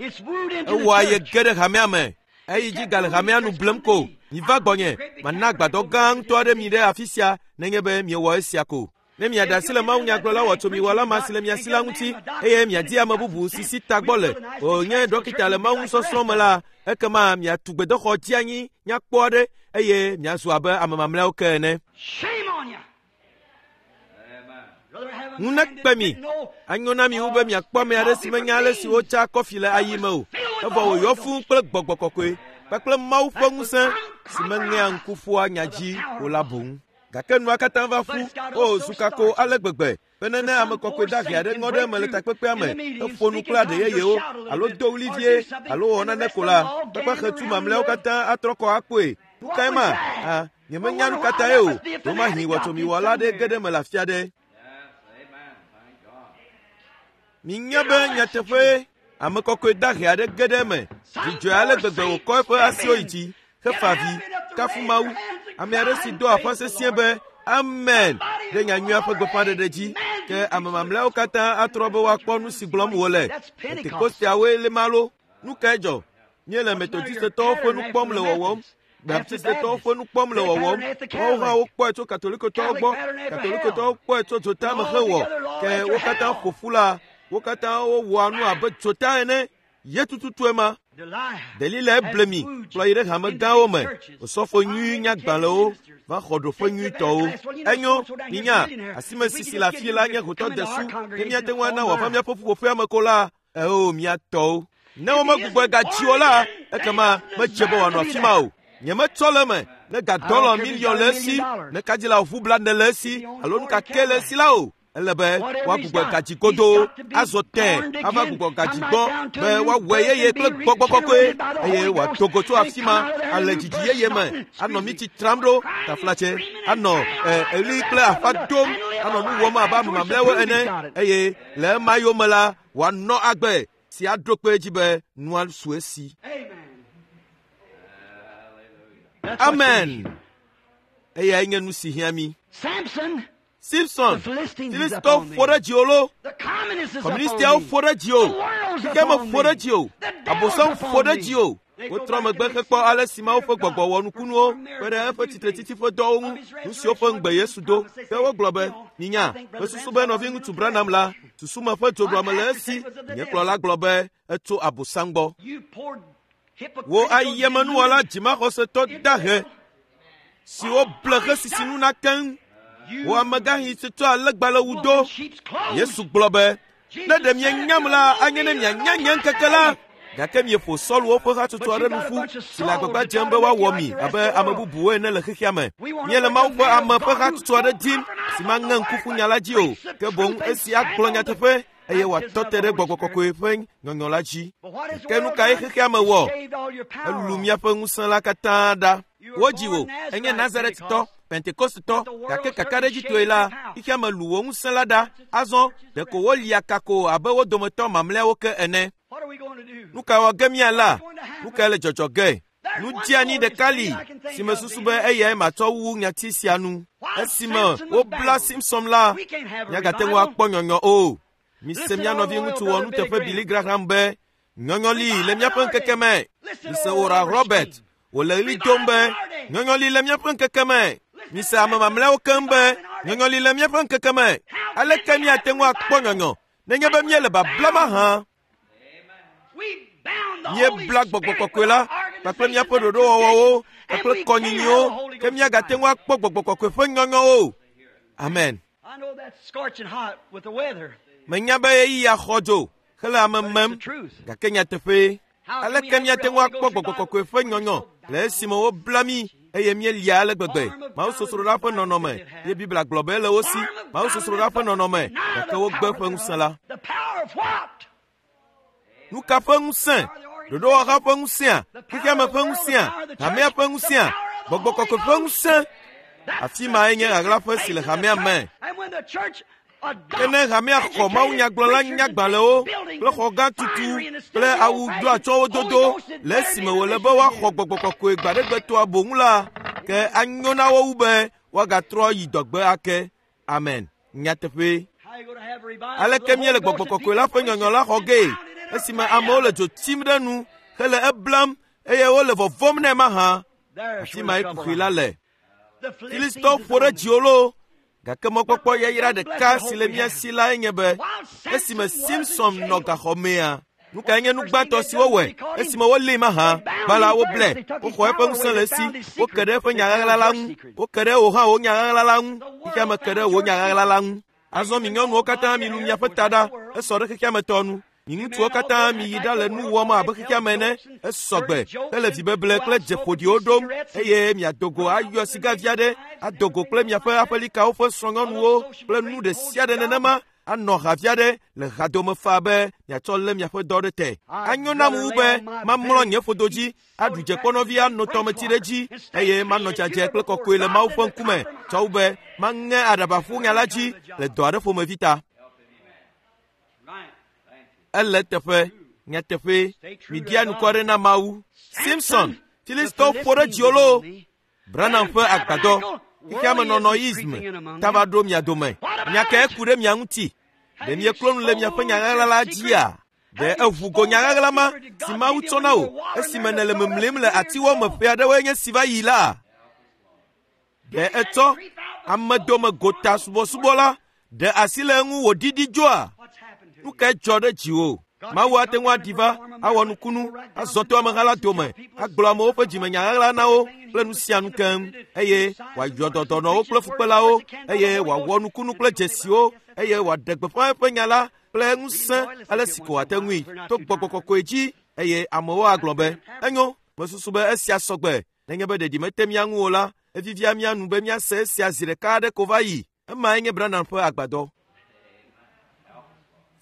Ewɔ aye ge ɖe hamea me. Eyi dzi gale hamea nu blem ko. Miva gbɔnye, mana agbadɔ gã ŋutɔ aɖe mi ɖe afi sia nenye be miewɔ esia ko. Ne miaɖe asi le mawunyagblɔla wɔtsomiwɔla ma si le mia si la ŋuti eye miadi ame bubu si si tagbɔ le wònye ɖɔkita le Mawu nusɔsrɔ̃ me la, ekema miatu gbedoxɔ dzeanyi nyakpɔ aɖe eye miazu abe ame mamlɛawo ke ene. Ŋu nekpe mi. Anyo na mi wu be miakpɔ ame aɖe si menya ale si wotsaa kɔfi le ayi me o, evɔ wòyɔ fũu kple gbɔgbɔ kɔkɔe kpakple Mawu ƒe ŋusẽ si meŋea ŋku ƒua nya dzi o la boŋ. Gake nua katã va ƒu, o zu kako ale gbegbe bene ne ame kɔkɔe dahe aɖe ŋɔ ɖe eme le takpekpea me, eƒo nu kple aɖe yeyewo, alo do ɣli vie, alo wɔ nane ko la, kpekpexetu mamlɛawo katã atrɔ kɔ akpɔe. Nu kae ma? Ah, nyemenya nu ka tae o. Ɖewomahi wɔtsomiwɔla aɖe ge ɖe eme le afi aɖe. Minya be nyateƒee ame kɔkɔe dahe aɖe ge ɖe eme. Dzidzɔe ale gbegbe wòkɔ eƒe asiwo yi dzi hefa avi, kafu Mawu. Ame aɖe si do aƒa sesĩe be Amen ɖe nyanyuia ƒe gbeƒãɖeɖe dzi. Ke ame mamlɛawo katã atrɔ be woakpɔ nu si gblɔm wòle. Pentekosteawoe li ma lo. Nu kae dzɔ? Míele Metodistetɔwo ƒe nu kpɔm le wɔwɔm. Baptistetɔwo ƒe nu kpɔm le wɔwɔm. Woawo hã wokpɔe tso Katolikotɔwo gbɔ. Katolikotɔwo kpɔe tso dzota me hewɔ. Ke wo katã ƒo ƒu la, wo katã wowɔa nu abe dzota ene. Ye tututue ma. Delila ble mi kplɔ yi ɖe hame gãwo me. Osɔfo nyui nyagbalẽwo va xɔ ɖoƒe nyuitɔwo. Enyo, minya, asime sisi le afii la nye hotɔ desu. Ne míate ŋu ana wòava míaƒe ƒuƒoƒea me ko la, Eo, mía tɔwo. Ne womegbugbɔe gadzi o la, ekema medze be wòanɔ afi ma o. Nyemetsɔ le eme ne ga dɔlɔ miliɔn le esi, ne kadzila ʋu blaene le esi, alo nu ka ke le esi la o. Ele be woagbugbɔ gadzi godoo azɔ tẽ ava gbugbɔ gadzi gbɔ be woawɔe yeye kple gbɔgbɔ kɔkɔe eye wòado go tso afi ma ale dzidzi yeye me anɔ mitsi tram ɖo taflatse anɔ eli kple afa dom anɔ nu wɔm abe ame mamlɛawo ene eye le ema yome la wòanɔ agbe si aɖo kpe edzi be nua su esi. Amen. Eyae nye nu si hiã mí. Simpson, Filistitɔwo ƒo ɖe dziwò lo, Kɔmunistiawo ƒo ɖe dziwò, xexeame ƒo ɖe dziwò, Abosam ƒo ɖe dziwò. Wotrɔ megbe hekpɔ ale si Mawu ƒe gbɔgbɔ wɔ nukunuwo kpe ɖe eƒe tsitretsitsi ƒe dɔwo ŋu, nu siwo ƒe ŋugbe Yesu do. Ke wogblɔ be, Minya, mesusu be nɔviŋutsu Branham la, susu me ƒe dzoɖuame le esi. Nye kplɔla gblɔ be etso Abosam gbɔ. Wò ayemenuwɔla dzimaxɔsetɔ dahe siwo ble xesisi nu na keŋ, wò amegãxi si tsɔ alẽgbalẽwu do. Yesu gblɔ be, Ne ɖe mienyam la, anye ne mianya nye ŋkeke la. Gake mieƒo Sɔluwo ƒe hatsotso aɖe nu ƒu si le agbagba dzem be woawɔ mi abe ame bubuwo ene le xexea me. Miele Mawu ƒe ame ƒe hatsotso aɖe dim si maŋe ŋku ƒu nya la dzi o, ke boŋ esi agblɔ nyateƒe eye wòatɔ te ɖe gbɔgbɔ kɔkɔe ƒe nyɔnyɔ la dzi. Ke nu kae xexea me wɔ? Elu míaƒe ŋusẽ la katã ɖa. Wodzi wò, enye Nazaretitɔ, Pentekostetɔ, gake kakaɖedzitɔe la, xexea me lu wò ŋusẽ la ɖa. Azɔ ɖeko wolia kako abe wo dometɔ mamlɛawo ke ene. Nu ka wɔ ge míala? Nu kae le dzɔdzɔ ge? Nu dzeani ɖeka li si mesusu be eyae matsɔ wu nyati sia nu. Esime wobla Simson la, míagate ŋu akpɔ nyɔnyɔ o. Mise mía nɔviŋutsu wɔnuteƒe Billy Graham be, Nyɔnyɔ li le míaƒe ŋkeke me. Mise Oral Robert wòle ɣli dom be, Nyɔnyɔ li le míaƒe ŋkeke me. Mise ame mamlɛawo keŋ be, Nyɔnyɔ li le míaƒe ŋkeke me. Aleke míate ŋu akpɔ nyɔnyɔ nenye be míele babla mahã? Míebla gbɔgbɔ kɔkɔe la kpakple míaƒe ɖoɖowɔwɔwo kpakple kɔnyinyiwo ke míagate ŋu akpɔ gbɔgbɔ kɔkɔe ƒe nyɔnyɔwo. Amen. Menya be ɣeyiɣia xɔ dzo hele ame mem, gake nyateƒee. Aleke míate ŋu akpɔ gbɔgbɔ kɔkɔe ƒe nyɔnyɔ le esime wobla mí eye míelia ale gbegbe? Mawusosroɖa ƒe nɔnɔme ye Biblia gblɔ be ele wo si. Mawusosroɖa ƒe nɔnɔme, gake wogbe eƒe ŋusẽ la. Nu ka ƒe ŋusẽ? Ɖoɖowɔha ƒe ŋusẽa? Xexeame ƒe ŋusẽa? Hamea ƒe ŋusẽa? Gbɔgbɔ kɔkɔe ƒe ŋusẽ? Afi mae nye ɣaɣlaƒe si le hamea me. Ke ne hamea xɔ mawunyagblɔla nyagbalẽwo kple xɔgã tutu kple awu doatsyɔ̃wo dodo le esime wòle be woaxɔ gbɔgbɔ kɔkɔe gbaɖegbetɔa boŋ la, ke anyo na wo wu be woagatrɔ yi dɔgbe ake. Amen. Nyateƒee. Aleke míele gbɔgbɔ kɔkɔe la ƒe nyɔnyɔ la xɔ gee esime amewo le dzo tsim ɖe nu hele eblam eye wole vɔvɔ̃m nɛ mahã? Afi mae kuxi la le. Filistitɔwo ƒo ɖe dziwò loo, gake mɔkpɔkpɔ yayra ɖeka si le mía si lae nye be esime Simson nɔ gaxɔ mea, nu kae nye nu gbãtɔ si wowɔe esime wolée mahã? Gbã la, woblae, woxɔ eƒe ŋusẽ le esi, woke ɖe eƒe nya ɣaɣla la ŋu, woke ɖe wò hã wò nya ɣaɣla la ŋu, xexeame ke ɖe wò nya ɣaɣla la ŋu. Azɔ mi nyɔnuwo katã milu miaƒe ta ɖa, esɔ ɖe xexeame tɔ nu. Mi ŋutsuwo katã miyi ɖa le nu wɔm abe xexeame ene, esɔ gbe hele vibeble kple dze ƒoɖiwo ɖom, eye miado go ayɔ sigavi aɖe, ado go kple miaƒe aƒelikawo ƒe srɔ̃nyɔnuwo kple nu ɖe sia ɖe nenema, anɔ havi aɖe le hadome faa be miatsɔ lé miaƒe dɔ ɖe te. Anyo nam wu be mamlɔ nye ƒodo dzi, aɖu dzekpɔnɔvi ano tɔmetsi ɖe edzi, eye manɔ dzadzɛ kple kɔkɔe le Mawu ƒe ŋkume, tsɔ wu be maŋe aɖaba ƒu nya la dzi le dɔ aɖe ƒomevi ta. Ele eteƒe, nyateƒee, miɖia anukware na Mawu. Simson, Filistitɔwo ƒo ɖe dziwò loo! Branham ƒe agbadɔ, xexeamenɔnɔism, ta va ɖo mia dome. Nya kae ku ɖe mia ŋuti? Ɖe mieklo nu le miaƒe nya ɣaɣla la dzia? Ɖe eʋu go nya ɣaɣla ma si Mawu tsɔ na wò esime nèle mimlim le atiwɔ me ƒe aɖewoe nye si va yi la? Ɖe etsɔ amedome gota subɔsubɔ la ɖe asi le eŋu wòɖiɖi dzoa? Nu kae dzɔ ɖe dziwò? Mawu ate ŋu aɖi va, awɔ nukunu, azɔ to ameha la dome, agblɔ amewo ƒe dzimenya ɣaɣla na wo kple nu sia nu keŋ, eye wòayɔ dɔ dɔnɔwo kple fukpelawo, eye wòawɔ nukunu kple dzesiwo, eye wòaɖe gbeƒã eƒe nya la kple ŋusẽ ale si ko wòate ŋui to gbɔgbɔ kɔkɔe dzi, eye amewo agblɔ be, Enyo, mesusu be esia sɔ gbe. Nenye be ɖeɖi mete mía ŋu o la, evivia mía nu be míase esia zi ɖeka aɖe ko va yi. Emae nye Branham ƒe agbadɔ.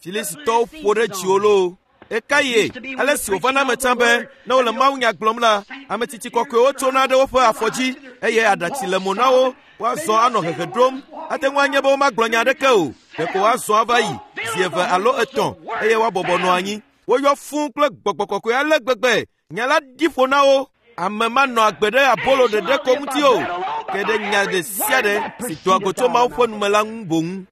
Filistitɔwo ƒo ɖe dziwò loo. Ɣekaɣie ale si wòva na eme tsã be ne wole mawunya gblɔm la, ame tsitsi kɔkɔewo tsona ɖe woƒe afɔ dzi eye aɖatsi le mo na wo woazɔ anɔ hehe ɖom. Ate ŋu anye be womagblɔ nya aɖeke o, ɖeko woazɔ ava yi zi eve alo etɔ̃ eye woabɔbɔ nɔ anyi. Woyɔ fũu kple gbɔgbɔ kɔkɔe ale gbegbe nya la ɖi ƒo na wo. Ame manɔ agbe ɖe abolo ɖeɖe ko ŋuti o, ke ɖe nya ɖe sia ɖe si doa go tso Mawu ƒe nume la ŋu boŋ.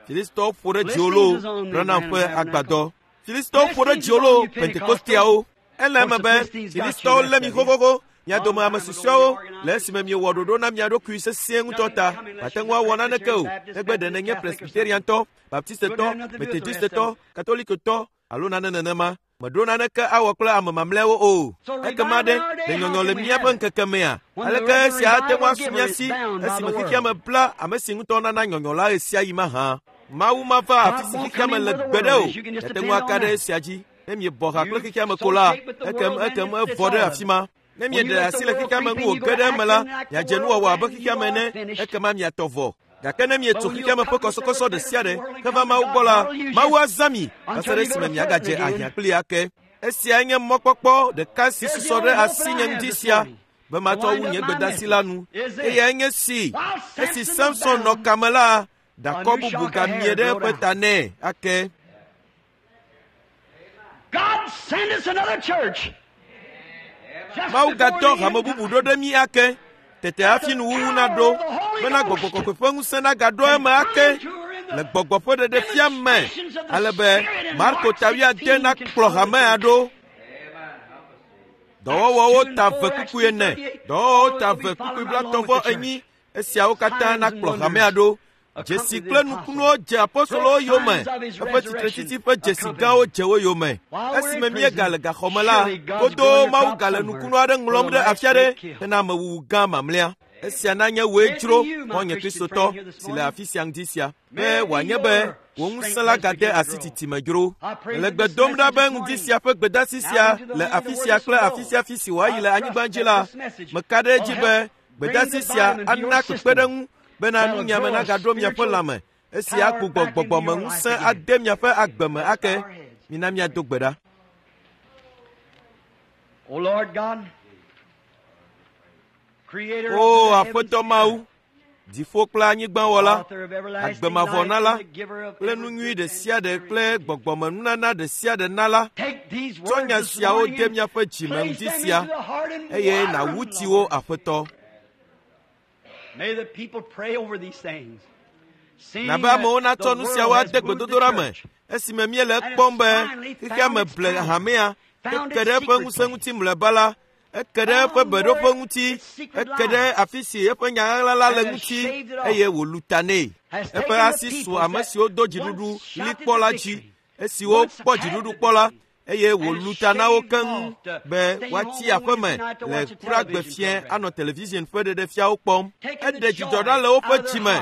Filistitɔwo ƒo ɖe dziwò loo, Branham ƒe agbadɔ. Filistitɔwo ƒo ɖe dziwò loo, Pentekosteawo. Ele eme be Filistitɔwo lé mi xoxoxo, mia dome ame susɔeawo, le esime miewɔ ɖoɖo na mia ɖokui sesĩe ŋutɔ ta. Màte ŋu awɔ naneke o, negbe ɖe nènye Presbyteriantɔ, Baptistetɔ, Methodistetɔ, Katolikotɔ alo nane nenema. Meɖo naneke awɔ kple ame mamlɛawo o. Ekema ɖe, ɖe nyɔnyɔ le míaƒe ŋkeke mea? Aleke esia ate ŋu asu mía si esime xexea me bla ame si ŋutɔ nana nyɔnyɔ la ɣesiaɣi mahã? Mawu mava afi si xexea me le gbeɖe o. Miate ŋu aka ɖe esia dzi. Ne miebɔ ha kple xexea me ko la, ekem ekem evɔ ɖe afi ma. Ne mieɖe asi le xexea me ŋu wòge ɖe eme la, miadze nuwɔwɔ abe xexea me ene, ekema miatɔ vɔ. Gake ne mietso xexea me ƒe kɔsɔkɔsɔ ɖe sia ɖe heva Mawu gbɔ la, Mawu azã mi va se ɖe esime miagadze ahiã kplii ake. Esiae nye mɔkpɔkpɔ ɖeka si susɔ ɖe asinye ŋdi sia be matsɔ wu nye gbedasi la nu. Eyae nye si, esi Samson nɔ kame la, ɖakɔ bubu gamie ɖe eƒe ta nɛ ake. God send us another church. Just Mawu before gadɔ the hame end bubu time. ɖo ɖe mí ake. Tete hafi nuwuwu naɖo bena gbɔgbɔ kɔkɔe ƒe ŋusẽ nagaɖo eme ake le gbɔgbɔ ƒe ɖeɖefia me ale be Marko ta wuiade nakplɔ hamea ɖo. Dɔwɔwɔwo ta ve kpukpui ene, dɔwɔwɔwo ta ve kpukpui blaetɔ̃ vɔ enyi. Esiawo katã nakplɔ hamea ɖo. Dzesi kple nukunuwo dze apostolowo yome. Eƒe tsitretsitsi ƒe dzesi gãwo dze wo yome. Esime míegale gaxɔ me la, godoo Mawu gale nukunu aɖe ŋlɔm ɖe afi aɖe hena amewuwu gã mamlɛa. Esia nanye wòe dzro, xɔ̃nye Kristotɔ, si le afi sia ŋdi sia, be wòanye be wò ŋusẽ la gade asi tsitsime dzro. Mele gbe dom ɖa be ŋdi sia ƒe gbedasi sia le afi sia kple afi sia afi si wòayi le anyigba dzi la, meka ɖe edzi be gbedasi sia ana kpekpeɖeŋu bena nunyame nagaɖo miaƒe lãme esi agbugbɔ gbɔgbɔmeŋusẽ ade miaƒe agbe me ake. Mina míado gbe ɖa. O Lord God, creator O of the heavens Aƒetɔ and Mawu, earth, dziƒo kple anyigba wɔla, author of everlasting agbe mavɔ life nala and the giver of kple every nu nyui good ɖe and sia ɖe perfect kple gift. gbɔgbɔmenunana ɖe sia ɖe nala, Take these tsɔ words nya this siawo morning de and míaƒe dzime place ŋdi them sia into the heart and eye water nàwu them, tsi wo Lord. Aƒetɔ. May the people pray over these things. Seeing Nabe that amewo the natsɔ nu world siawo has ade moved the gbedodoɖa me church. esime míele ekpɔm be xexea me ble hamea eke ɖe eƒe ŋusẽ ŋuti mlɔeba la, eke ɖe eƒe beɖoƒe ŋuti, eke ɖe afi si eƒe nya ɣaɣla la le ŋuti eye wòlu ta nɛ. Eƒe asi su ame siwo do dziɖuɖu li kpɔ la dzi, esiwo kpɔ dziɖuɖu kpɔ la, eye wòlu ta na wo keŋ be woatsi aƒe me le kuɖagbe fiẽ anɔ television ƒe ɖeɖefiawo kpɔm. Eɖe dzidzɔ ɖa le woƒe dzi me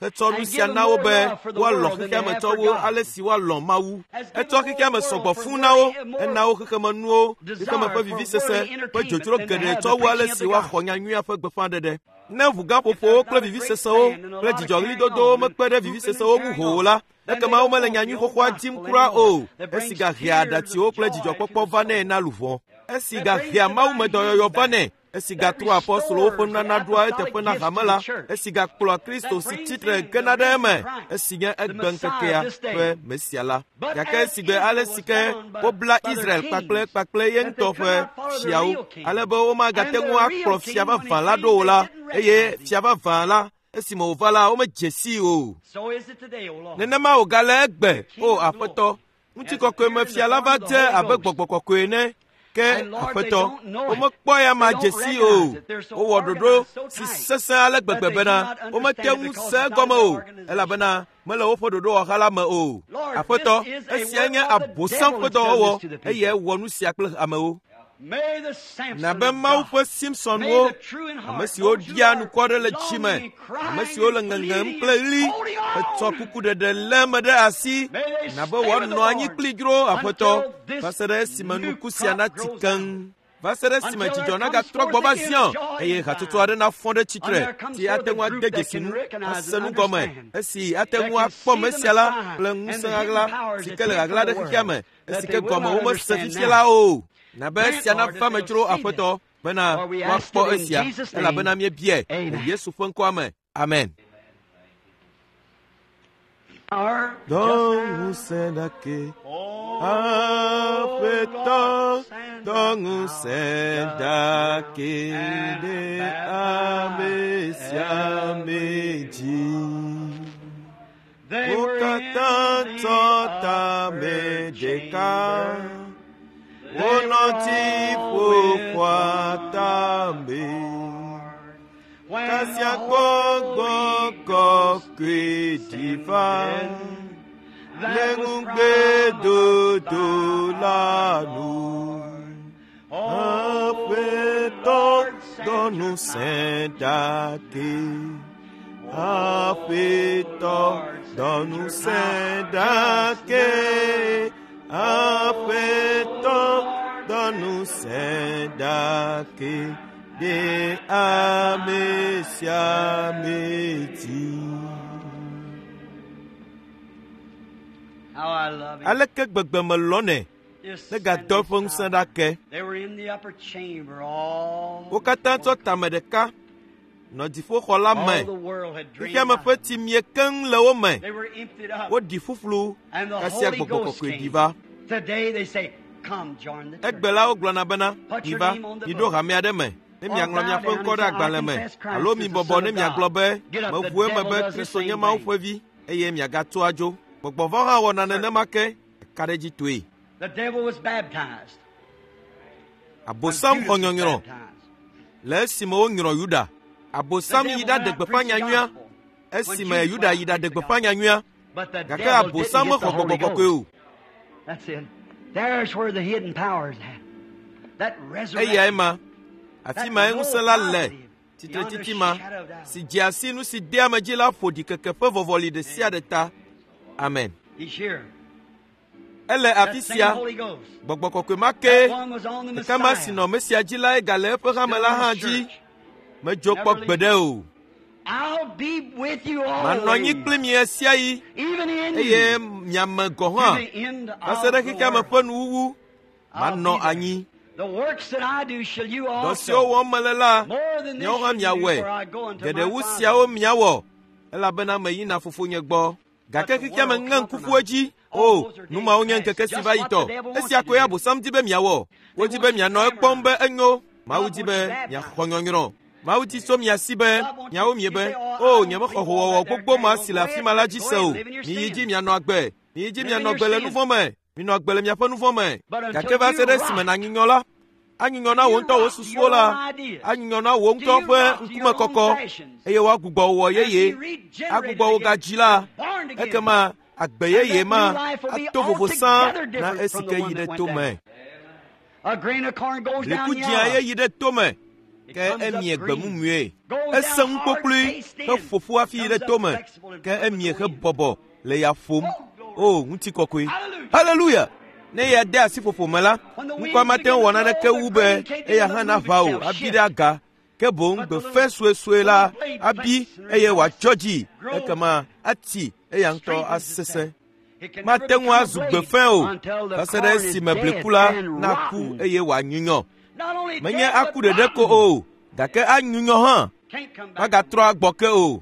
hetsɔ nu sia na wo be woalɔ̃ xexea me tsɔ wu ale si woalɔ̃ Mawu. Etsɔ xexea me sɔgbɔ fũu na wo, ena wo xexemenuwo, xexeme ƒe vivisese ƒe dzodzro geɖe tsɔ wu ale si woaxɔ nyanyuia ƒe gbeƒãɖeɖe. Ne ʋugãƒoƒowo kple vivisesewo kple dzidzɔɣlidodowo mekpe ɖe vivisesewo ŋu hoo o la, ekema womele nyanyui xoxoa dim kura o. Esi gahea aɖatsiwo kple dzidzɔkpɔkpɔ vanɛ na luʋɔ. Esi gahea mawumedɔyɔyɔ vanɛ. Esi gatrɔa apostolowo ƒe nunana ɖoa eteƒe na hame la. Esi gakplɔa Kristo si tsitre gena ɖe eme. Esi nye egbeŋkekea ƒe Mesia la. Gake esi gbe ale si ke wobla Israel kpakple kpakple ye ŋutɔ ƒe fiawo ale be womagate ŋu akplɔ fia vavã la ɖo o la, eye fia vavã la esime wòva la womedze sii o. So is it today, O Lord. Nenema wògale egbe, o Aƒetɔ. Ŋutikɔkɔe me fia la va dze abe gbɔgbɔ kɔkɔe ene. Ke Aƒetɔ, womekpɔ ya ma dze sii o. Wowɔ ɖoɖo si sesẽ ale gbegbe bena womete ŋu se egɔme o, elabena mele woƒe ɖoɖowɔha la me o. Aƒetɔ, esia nye Abosam ƒe dɔwɔwɔ eye ewɔ nu sia kple amewo. May the Samson Nabe of Mawu God, ƒe Simpsonwo, may the true in heart, ame siwo those who ɖia are anukware le tsi me, longing and crying ame siwo le and ŋeŋem pleading kple and ɣli, holding on. hetsɔ kukuɖeɖe lé eme ɖe asi, May they nabe stay with the woanɔ anyi Lord kpli dzro Aƒetɔ until this va se ɖe esime new nuku sia crop natsi grows keŋ. Va se ɖe esime dzidzɔ nagatrɔ gbɔ va Zion eye hatsotso aɖe nafɔ ɖe tsitre si ate ŋu ade dzesi nu, ase nu gɔme, esi ate ŋu akpɔ Mesia la kple ŋusẽ ɣaɣla si ke le ɣaɣla ɖe xexea me, esi ke gɔme womese fifia la o. Na be esia nava me dzro Aƒetɔ bena woakpɔ esia, elabena míebiae le Yesu ƒe ŋkɔa me. Amen. Dɔ ŋusẽ ɖake, Aƒetɔ, dɔ ŋusẽ ɖake ɖe ame sia ame dzi. Wo katã tsɔ tame ɖeka, wonɔ dziƒoxɔa tame. Kasia gbɔgbɔ kɔkɔe ɖi va le ŋugbedodo la nu. Aƒetɔ dɔ ŋusẽ ɖake. Aƒetɔ dɔ ŋusẽ ɖake. Aƒetɔ dɔ ŋusẽ ɖake. Ɖe ame sia ame dzi. Aleke gbegbe melɔ̃nɛ ne gadɔ eƒe ŋusẽ ɖa ke. Wo katã tsɔ tame ɖeka nɔ dziƒoxɔ la me. Xexeame ƒe tsi mie keŋ le wo me. Woɖi ƒuƒlu kasia gbɔgbɔ kɔkɔe ɖi va. Egbe la wogblɔna bena, Miva, miɖo hame aɖe me, ne miaŋlɔ miaƒe ŋkɔ ɖe agbalẽ me, alo mibɔbɔ ne miagblɔ be, Meʋu eme be Kristo nye Mawu ƒe Vi, eye miagatso adzo. Gbɔgbɔ vɔ̃ hã wɔna nenema ke, eka ɖe edzi toe. Abosam xɔ nyɔnyrɔ le esime wonyrɔ Yuda. Abosam yi ɖaɖe gbeƒã nyanyuia esime Yuda yi ɖaɖe gbeƒã nyanyuia. Gake Abosam mexɔ gbɔgbɔ kɔkɔe o. Eyae ma, afi mae ŋusẽ la le, tsitretsitsi ma, si dzea si nu si dea ame dzi la ƒo ɖikeke ƒe vɔvɔli ɖe sia ɖe ta. Amen. Ele afi sia, gbɔgbɔ kɔkɔe ma ke, ɖeka ma si nɔ Mesia dzi lae gale eƒe hame la hã dzi. Medzo kpɔ gbeɖe o. Manɔ anyi kpli mi ɣesiaɣi eye miame gɔ̃ hã va se ɖe xexeame ƒe nuwuwu. Manɔ anyi. Dɔ siwo wɔm mele la, miawo hã miawɔe. Geɖe wu siawo miawɔ, elabena meyina Fofonye gbɔ. Gake xexeame ŋe ŋku ƒu edzi. O, nu mawo nye ŋkeke si va yi tɔ. Esia koe Abosam di be miawɔ. Wodi be mianɔ ekpɔm be enyo. Mawu di be miaxɔ nyɔnyrɔ. Mawu di tso mia si be miawo miebe, O, nyemexɔ howɔwɔ gbogbo ma si le afi ma la dzi se o. Miyi dzi mianɔ agbe. Miyi dzi mianɔ agbe le nu vɔ̃ me. Minɔ agbe le miaƒe nu vɔ̃ me. Gake va se ɖe esime nànyunyɔ la, anyunyɔ na wò ŋutɔ wò susuwo la, anyunyɔ na wò ŋutɔ ƒe ŋkumekɔkɔ, eye woagbugbɔ wò yeye, agbugbɔ wò gadzi la, ekema agbe yeye ma ato vovo sã na esi ke yi ɖe to me. Bliku dzĩa ye yi ɖe to me, ke emie gbe mumue. Esẽ ŋu kpokploe heƒo ƒu hafi yi ɖe to me, ke emie hebɔbɔ le ya ƒom. O, ŋutikɔkɔe! Haleluya! Ne ya de asi ƒoƒo me la, ŋkɔa mate ŋu wɔ naneke wu be eya hã naʋã o abi ɖe aga. Ke boŋ gbe fẽ suesue la abi eye wòatsɔ dzi, ekema ati eya ŋutɔ asesẽ. Mate ŋu azu gbe fẽ o va se ɖe esime bliku la naku eye wòanyunyɔ. Menye aku ɖeɖe ko o, gake anyunyɔ hã. Magatrɔ agbɔ ke o,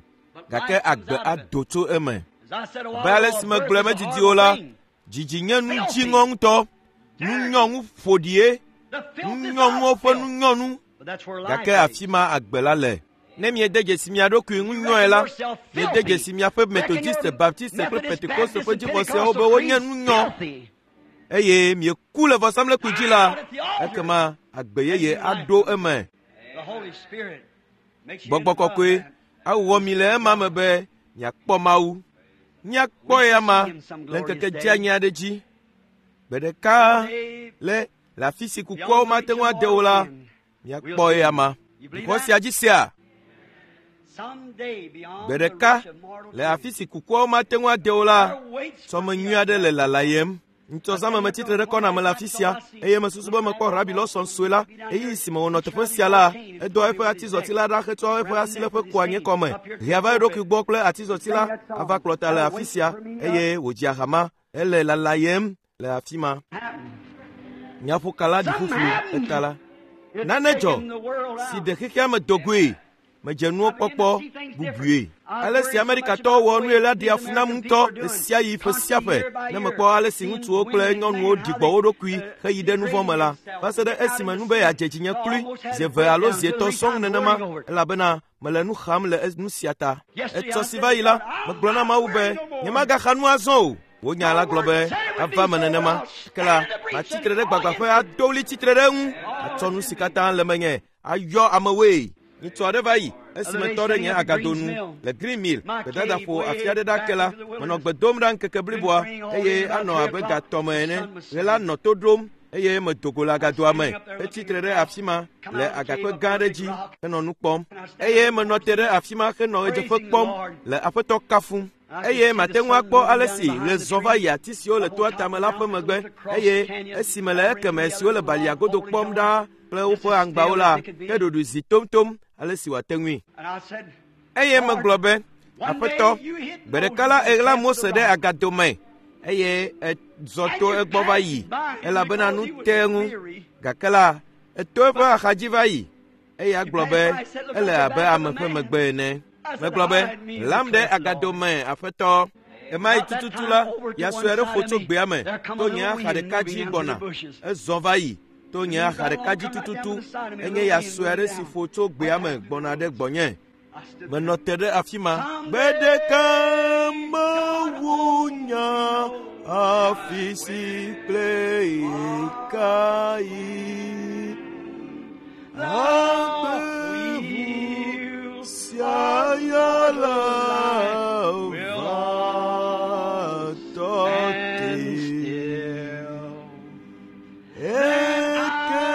gake agbe ado tso eme. Abe ale si megblɔe medidi o la, dzidzi nye nu dziŋɔ ŋutɔ, nunyɔnu ƒoɖie, nunyɔnuwo ƒe nunyɔnu, gake afi ma agbe la le. Ne miede dzesi mia ɖokui ŋu nyɔe la, miede dzesi miaƒe Metodiste, Baptiste kple Pentekoste ƒe dzixɔsewo be wonye nunyɔ eye mieku le vɔsamlekpui dzi la, ekema agbe yeye aɖo eme. Gbɔgbɔ kɔkɔe awɔ mi le ema me be miakpɔ Mawu. Míakpɔ eyama le ŋkeke dzeanyi aɖe dzi. Gbe ɖeka le le afi si kukuawo mate ŋu ade o la, míakpɔ eyama. Xɔ sia dzi sea? Gbe ɖeka le afi si kukuawo mate ŋu ade o la, sɔme nyui aɖe le lalayem. Ŋutɔ zãme metsitre ɖe kɔna me le afi sia eye mesusu be mekpɔ Rabi Lawson sue la. Ɣeyiɣi si me wònɔ teƒe sia la, edoa eƒe atizɔti la ɖa hetsɔ eƒe asiléƒe kua nye kɔme, hea va eɖokui gbɔ kple atizɔti la ava kplɔ ta le afi sia eye wòdzia ha ma. Ele lalayem le afi ma. Nyaƒokala ɖi ƒuƒlu eta la. Nane dzɔ si ɖe xexea me do goe. Medze nuwo kpɔkpɔ bubue. Ale si Amerikatɔwo wɔ nue la ɖea fu nam ŋutɔ ɣesiaɣi ƒe sia ƒe ne mekpɔ ale si ŋutsuwo kple nyɔnuwo ɖi gbɔ wo ɖokui heyi ɖe nu vɔ̃ me la, va se ɖe esime nu be yeadze dzinye kloe zi eve alo zi etɔ̃ sɔŋ nenema, elabena mele nu xam le nu sia ta. Etsɔ si va yi la, megblɔ na Mawu be nyemagaxa nu azɔ o. Wò nya la gblɔ be ava me nenema. Ke la, matsi tre ɖe gbagbãƒe ado ɣli tsitre ɖe eŋu, atsɔ nu si katã le menye ayɔ amewoe. Ŋutsu aɖe va yi esime tɔ ɖe nye agado nu le Green Mill gbedadaƒo afi aɖe ɖa ke la, menɔ gbe dom ɖa ŋkeke bliboa eye anɔ abe gatɔme ene. Ɣe la nɔ to ɖom eye medo go le agadoa me hetsi tre ɖe afi ma le agakpe gã aɖe dzi henɔ nu kpɔm. Eye menɔ te ɖe afi ma henɔ ɣedzeƒe kpɔm le Aƒetɔ kafum. Eye mate ŋu akpɔ ale si ɣe zɔ va yi ati siwo le toa tame la ƒe megbe eye esi mele ekeme siwo le balia godo kpɔm ɖaa kple woƒe aŋgbawo la, ke ɖoɖoe zi tomtom ale si wòate ŋui. Eye megblɔ be, Aƒetɔ, gbe ɖeka la èɣla Mose ɖe agado me eye èzɔ to egbɔ va yi elabena nu te eŋu. Gake la, èto eƒe axadzi va yi eye agblɔ be ele abe ame ƒe megbe ene. Megblɔ be, ɣlam ɖe agado me, Aƒetɔ. Ɣemaɣi tututu la, ya sue aɖe ƒo tso gbea me to nye axa ɖeka dzi gbɔna. Ezɔ va yi to nye axa ɖeka dzi tututu. Enye ya sue aɖe si ƒo tso gbea me gbɔna ɖe gbɔnye. Menɔ te ɖe afi ma. Gbe ɖeka Mawu nya afi si kple ɣekaɣi. Agbe sia ya la va tɔ te. Eke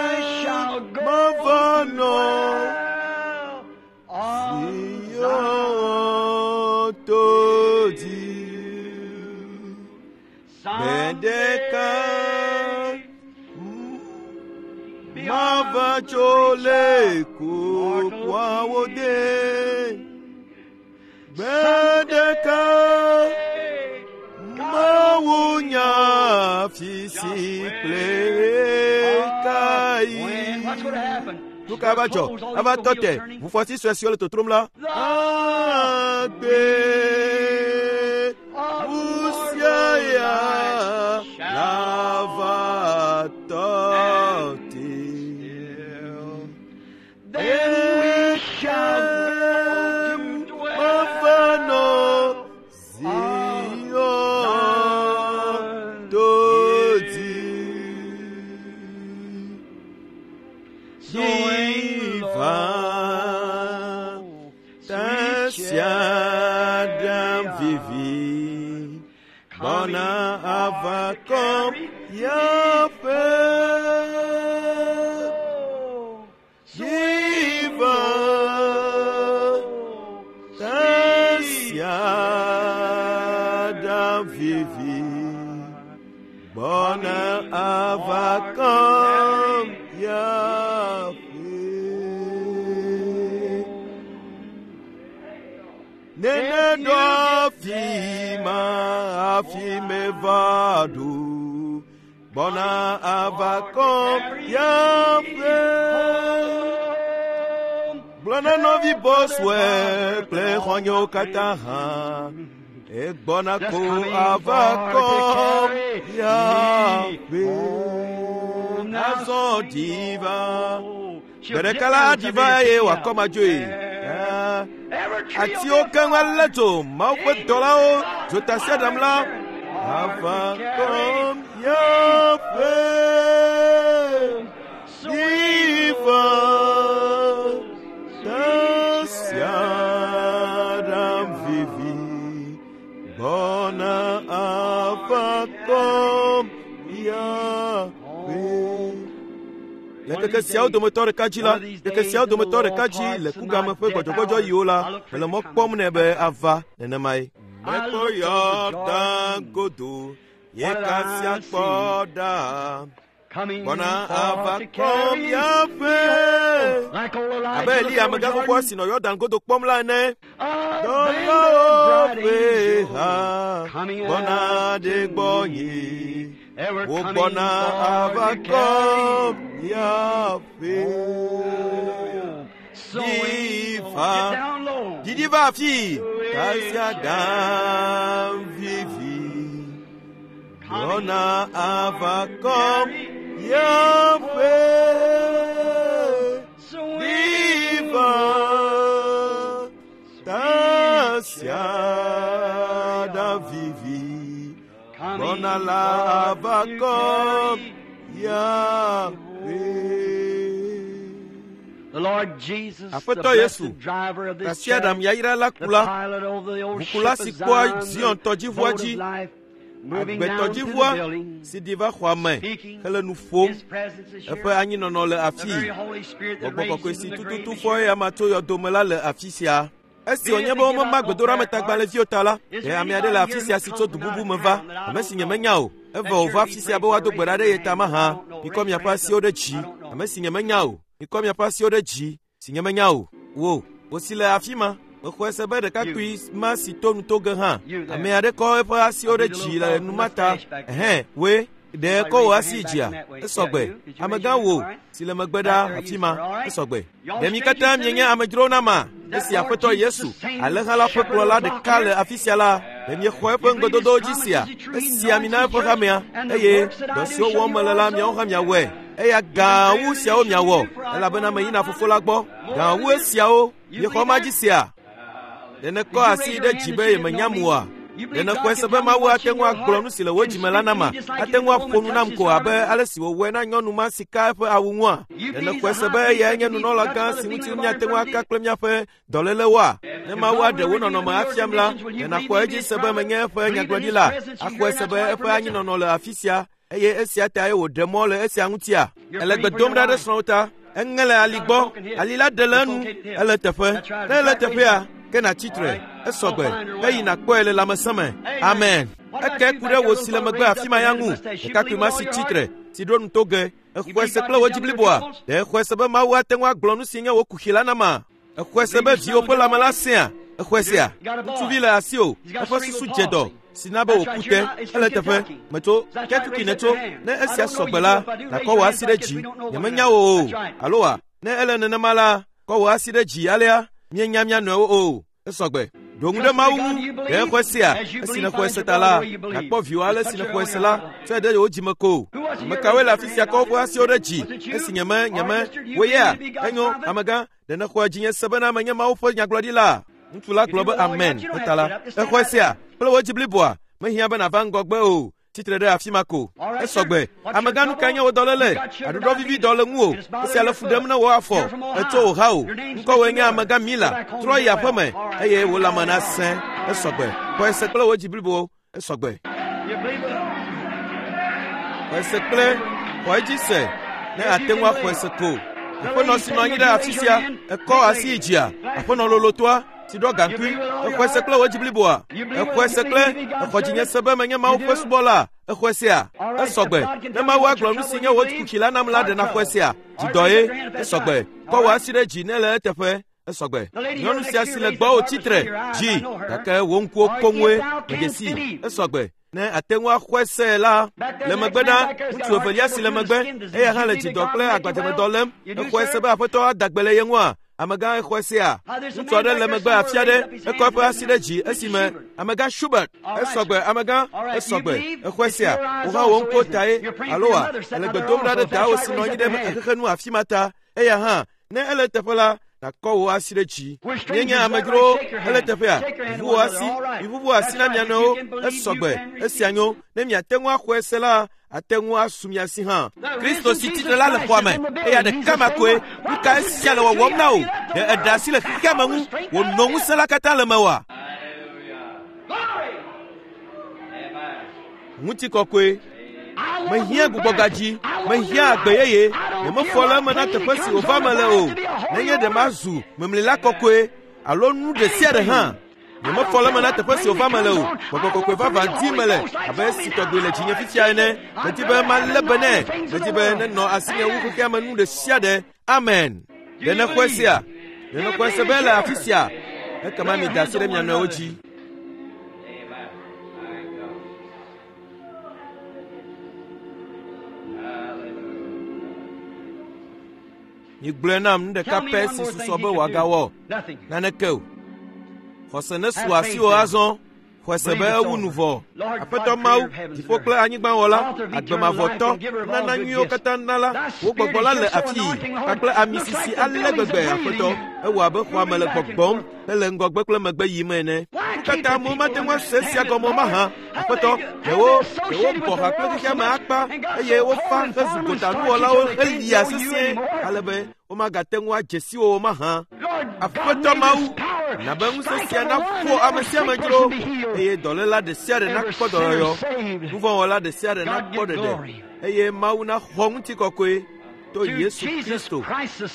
mava nɔ Zion to dzi. Gbe ɖeka mava tso le kukuawo de. Gbe ɖeka Mawu nya afi si kple ɣekaɣi. Nu ka va dzɔ? Ava tɔ te ʋufɔti sue siwo le totrom la. Agbe ŋusẽ ya la va tɔ te. Then we shall go to Mava nɔ dwell Zion to dzi. Swing Yiva low, sweet tasiaɖam chariot, vivi gbɔna coming ava for to kɔm carry yaƒe. home. Yiva Low, sweet tasiaɖam vivi gbɔna ava kɔm yaƒe. Nene ɖo afi ma hafi meva ɖo gbɔna ava kɔm yaƒe. Gblɔ na nɔvi Boswell kple xɔ̃nyewo katã hã egbɔna ko ava kɔm yaƒe. Azɔ ɖi va. Gbe ɖeka la aɖi va eye wòakɔm adzoe. Atiwo keŋ alé dzo Mawu ƒe dɔlawo dzotasiaɖam la ava kɔm yaƒe. Ɖi va tasiaɖam vivi gbɔna ava kɔm yaƒe. Le ŋkeke siawo dometɔ ɖeka dzi la, ŋkeke siawo dometɔ ɖeka dzi le kugame ƒe gbɔdzɔgbɔdzɔyiwo la, mele mɔ kpɔm nɛ be ava nenemae. Mekpɔ Yɔdan godo Ye What kasia I kpɔ see ɖa. coming Gbɔna for ava to kɔm carry me míaƒe. home. Like old Elijah Abe looked Eliya over amegã xoxoa Jordan, si nɔ Yɔdan godo kpɔm la ene. a band Dɔlawo of bright ƒe angels ha coming gbɔna after ɖe gbɔnye. me. They were coming Wogbɔna for ava to carry kɔm míaƒe. home. So Diva. get down low. Didi va afi. Tasiaɖam vivi. Gbɔna ava kɔm míaƒe. Diva. Tasiaɖam vivi. Gbɔna la ava kɔm míaƒe. The Lord Jesus, the Aƒetɔ Yesu, blessed driver of this Tasiaɖam chariot, yayra la the kula. pilot over the old Ʋukula ship si of kpɔa Zion, Zion the tɔdziʋua boat dzi, of life, moving down to the agbetɔdziʋua building, si ɖi va xɔa me speaking. hele nu ƒom. His presence is here. Eƒe anyinɔnɔ le The afii. very Holy Spirit that Gbɔgbɔ raised kɔkɔe him si from the grave tututu is fɔ here. eya ma tso yɔdome la le afi sia. Esi wònye be womema gbedoɖametagbalẽviwo ta la, ɖe ame aɖe le afi sia si tso du bubu me va, ame si nyemenya o. Evɔ wòva afi sia be woado gbe ɖa ɖe ye ta mahã. Mikɔ miaƒe asiwo ɖe dzi. Ame si nyemenya o. Mikɔ miaƒe asiwo ɖe dzi si nyemenya o. Wò, wò si le afi ma. Mexɔe se be ɖekakpui ma si to nu to ge hã. Ame aɖe kɔ eƒe asiwo ɖe dzi le nu ma ta. Ɛhɛn, woe, ɖe kɔ wò asi dzia? Esɔgbe. Amegã wò si le megbe ɖa afi ma. Esɔgbe. Ɖe mi katã mienye amedzrowo na ma? Esi Aƒetɔ Yesu, alẽha la ƒe kplɔla ɖeka le afi sia la, ɖe miexɔ eƒe ŋugbedodowo dzi sia? Esi ami na eƒe hamea, eye dɔ siwo wɔm mele la, miawo hã miawɔe. Eya gã wu siawo miawɔ, elabena meyina Fofo la gbɔ. Gã wu esiawo, miexɔ ma dzi sia? Ɖe nèkɔ asi ɖe dzi be yemenyam oa? Ɖe nèxɔe se be Mawu ate ŋu agblɔ nu si le wò dzime la nama? Ate ŋu aƒo nu nam ko abe ale si wòwɔe na nyɔnu ma si ka eƒe awu ŋua? Ɖe nèxɔe se be eyae nye nunɔlagã si ŋuti míate ŋu aka kple míaƒe dɔlélewoa? Ne Mawu aɖe wò nɔnɔme afiam la, ɖe nàxɔe edzi se be menye eƒe nyagblɔɖila? Axɔe se be eƒe anyinɔnɔ le afi sia eye esia tae wòɖe mɔ le esia ŋutia? Ele gbe dom ɖa ɖe srɔ̃wò ta. Eŋe le ali gbɔ. Ali la ɖe le enu. Ele teƒe. Ne ele teƒea, ke nàtsi tre. Esɔgbe. Eyi nàkpɔe le lãmesẽ me. Amen. Eke ku ɖe wò si le megbe afi ma ya ŋu. Ɖekakpui ma si tsi tre, si ɖo nu to ge. Exɔe se kple wò dzi bliboa. Ɖe exɔe se be Mawu ate ŋu agblɔ nu si nye wò kuxi la nama? Exɔe se be viwò ƒe lãme la sẽa? Exɔe sea? Ŋutsuvi le asiwò. Eƒe susu dze dɔ si na be wòku te. Ele teƒe. Metso Kentucky nètso. Ne esia sɔgbe la, nàkɔ wò asi ɖe dzi. Nyemenya wò o. Alo wa? Ne ele nenema la, kɔ wò asi ɖe dzi alea. Míenya mía nɔewo o. Esɔgbe. Ɖo ŋu ɖe Mawu ŋu. Ɖe exɔe sea? Esi nèxɔe se ta la, nàkpɔ viwò ale si nèxɔe se la, tsɔe ɖe wò dzime ko. Ame kawoe le afi sia kɔ woƒe asiwo ɖe dzi? Esi nyeme, nyeme, wò yea? Enyo, amegã, ɖe nèxɔe dzinye se bena menye Mawu ƒe nyagblɔɖila? Ŋutsu la gblɔ be amen. Eta la, exɔe sea kple wò dzi bliboa. Mehiã be nàva ŋgɔgbe o. Tsitre ɖe afi ma ko. Esɔgbe. Amegã nu kae nye wò dɔléle? Aɖuɖɔ vivi dɔ le ŋuwò. Esia le fu ɖem ne wò afɔ. Etso wò ha o. Ŋkɔwòe nye amegã Mila. Trɔ yi aƒe me eye wò lãme nasẽ. Esɔgbe. Xɔe se kple wò dzi blibo. Esɔgbe. You believe it? Xɔe se kple xɔ edzi se ne ate ŋu axɔe se ko. Aƒenɔ si nɔ anyi ɖe afi sia, ekɔ asi yi dzia. Aƒenɔ lolotɔa si ɖɔ gaŋkui. Exɔe se kple wò dzi bliboa. Exɔe se kple exɔ dzinye se be menye Mawu ƒe subɔla. Exɔe sea? Esɔgbe. Ne Mawu agblɔ nu si nye wò kuxi la nam la, ɖe nàxɔe sea? Dzidɔ ye. Esɔgbe. Kɔ wò asi ɖe dzi ne le eteƒe. Esɔgbe. Nyɔnu sia si le gbɔwò tsi tre dzi gake wò ŋkuwo koŋue medze sii. Esɔgbe. Ne ate ŋu axɔe se la, le megbe ɖa, ŋutsu evelia si le megbe, eya hã le dzidɔ kple agbadzemedɔ lém. Exɔe se be Aƒetɔ ada gbe le ye ŋua? Amegã exɔe sea? Ŋutsu aɖe le megbe afi aɖe, ekɔ eƒe asi ɖe dzi esime amegã Schubert. Esɔgbe, amegã, esɔgbe. Exɔe sea? Wò hã wò ŋkuwo tae, alo wa? Ele gbe dom ɖa ɖe dawò si nɔ anyi ɖe xexenu afi ma ta. Eya hã, ne ele teƒe la, nàkɔ wò asi ɖe dzi. Míenye amedzrowo, ele teƒea, ʋuʋu wò asi, miʋuʋu asi na mia nɔewo. Esɔgbe, esia nyo. Ne miate ŋu axɔe se la, ate ŋu asu mia si hã. Kristo si tsitre la le xɔa me, eya ɖeka ma koe. Nu ka esia le wɔwɔm na wò? Ɖe eɖe asi le xexea me ŋu wònɔ ŋusẽ la katã le mewòa? Ŋutikɔkɔe. Mehiã gbugbɔgadzi, mehiã agbe yeye. Nyemefɔ le eme na teƒe si wòva me le o. Nenye ɖe mazu memlila kɔkɔe alo nu ɖe sia ɖe hã. Nyemefɔ le eme na teƒe si wòva me le o. Gbɔgbɔ kɔkɔe vavã dim mele abe esi tɔgbi le dzinye fifia ene. Medi be malé be nɛ. Medi be nenɔ asinye wu xexea me nu ɖe sia ɖe. Amen. Ɖe nèxɔe sea? Ɖe nèxɔe se be ele afi sia? Ekema mida asi ɖe mia nɔewo dzi. Migblɔe nam nu ɖeka pɛ si susɔ be wòagawɔ. Naneke o. Xɔse nesu asiwò azɔ. Xɔe se be ewu nu vɔ. Aƒetɔ Mawu, dziƒo kple anyigba wɔla, agbe mavɔtɔ, nunana nyuiwo katã nala, wò gbɔgbɔ la le afii kpakple ami sisi ale gbegbe, Aƒetɔ. Ewɔ abe xɔa me le gbɔgbɔm hele ŋgɔgbe kple megbe yim ene. Nu ka ta amewo mate ŋu ase esia gɔme o mahã? Aƒetɔ, ɖe wo, ɖe wobɔ ha kple xexea me akpa eye wofa hezu gotanuwɔlawo helia sesĩe ale be womagate ŋu adze si wo o mahã? Aƒetɔ Mawu, na be ŋusẽ sia naƒo ame sia ame dzro eye dɔléla ɖe sia ɖe nakpɔ dɔyɔyɔ, nuvɔ̃wɔla ɖe sia ɖe nakpɔ ɖeɖe eye Mawu naxɔ ŋutikɔkɔe to Yesu Kristo,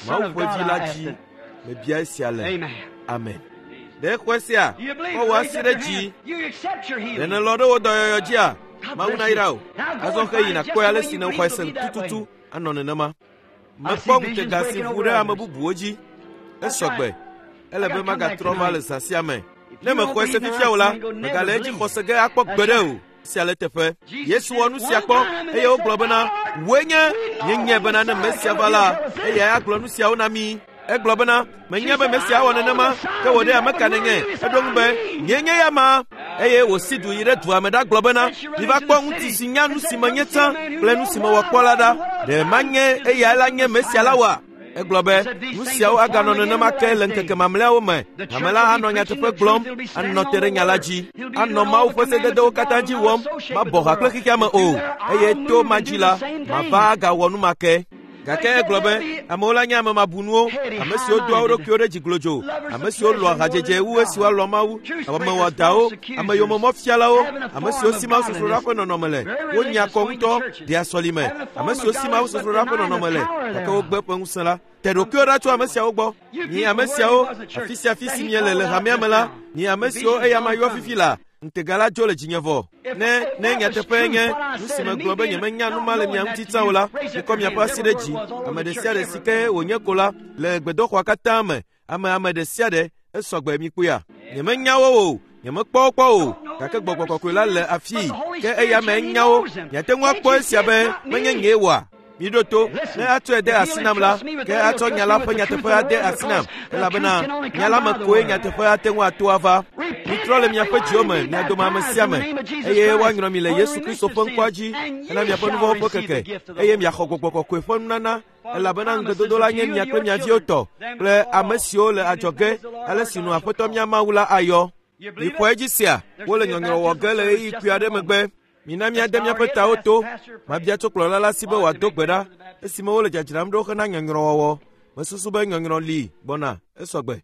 Mawu ƒe Vi la dzi. Mebia esia le. Amen. Ɖe xɔe sia? Kɔ wò asi ɖe dzi. Ɖe nèlɔ̃ ɖe wò dɔyɔyɔ dzia? Mawu nayra wò. Azɔ xeyi nàkpɔe ale si nèxɔe se tututu anɔ nenema. Mekpɔ ŋutega si ʋu ɖe ame bubuwo dzi. Esɔ gbe. Ele be magatrɔ va le zã sia me. Ne mexɔe se fifia o la, megale edzi xɔse ge akpɔ gbeɖe o. Sia le teƒe. Yesu wɔ nu sia kpɔ eye wogblɔ bena, Wòe nye, míenyae bena ne Mesia va la, eyae agblɔ nu siawo na mí. Egblɔ bena, Menya be Mesia awɔ nenema, ke wò ɖe ame ka nènye? Eɖo ŋu be, Nyee nye ya ma. Eye wòsi du yi ɖe dua me ɖagblɔ bena, Miva kpɔ ŋutsu si nya nu si menye tsã kple nu si mewɔ kpɔ la ɖa. Ɖe manye eyae la nye Mesia la oa? Egblɔ be, Nu siawo aganɔ nenema ke le ŋkeke mamlɛawo me. Hame la anɔ nyateƒe gblɔm, anɔ te ɖe nya la dzi, anɔ Mawu ƒe sededewo katã dzi wɔm, mabɔ ha kple xexea me o, eye to ma dzi la, mava agawɔ nu ma ke. Gake egblɔ be, amewo la nye ame mabunuwo, ame siwo doa wo ɖokuiwo ɖe dzi glodzo, ame siwo lɔ̃a hadzedze wu esi woalɔ̃ Mawu, amewɔdawo, ame yomemɔfialawo, ame siwo si mawusosroɖa ƒe nɔnɔme le, wonya kɔ ŋutɔ, ɖea sɔlime, ame siwo si mawusosroɖa ƒe nɔnɔme le, gake wogbe eƒe ŋusẽ la. Te ɖokuiwò ɖa tso ame siawo gbɔ. Mi ame siawo, afi sia afi si miele le hamea me la, mi ame siwo eya ma yɔ fifi la, ŋutega la dzo le dzinye vɔ. Ne, ne nyateƒee nye nu si megblɔ be nyemenya nu ma le mia ŋuti tsã o la, mikɔ miaƒe asi ɖe dzi. Ame ɖe sia ɖe si ke wònye ko la, le gbedoxɔa katã me, ame ame ɖe sia ɖe, esɔ gbe mikpɔea. Nyemenya wo o, nyemekpɔ wo kpɔ o, gake gbɔgbɔ kɔkɔe la le afii, ke eya me nya wo. Miate ŋu akpɔ esia be menye nyee wɔa? Miɖo to, ne atsɔe de asi nam la, ke atsɔ nya la ƒe nyateƒe ade asi nam, elabena nya la me koe nyateƒe ate ŋu ato ava. Mitrɔ le miaƒe dziwo me, mia dome ame sia ame, eye woanyrɔ mi le Yesu Kristo ƒe ŋkɔa dzi hena miaƒe nu vɔ̃wo ƒe keke, eye miaxɔ Gbɔgbɔ Kɔkɔe ƒe nunana, elabena ŋugbedodo la nye mia kple mia viwo tɔ kple ame siwo le adzɔge, ale si nu Aƒetɔ mía Mawu la ayɔ. Mixɔ edzi sea, wole nyɔnyrɔ wɔ ge le ɣeyiɣi kpui aɖe megbe. Mina míade míaƒe tawo to. Mabia tso kplɔla la si be wòado gbe ɖa esime wole dzadzram ɖo hena nyɔnyrɔwɔwɔ. Mesusu be nyɔnyrɔ li gbɔna. Esɔ gbe.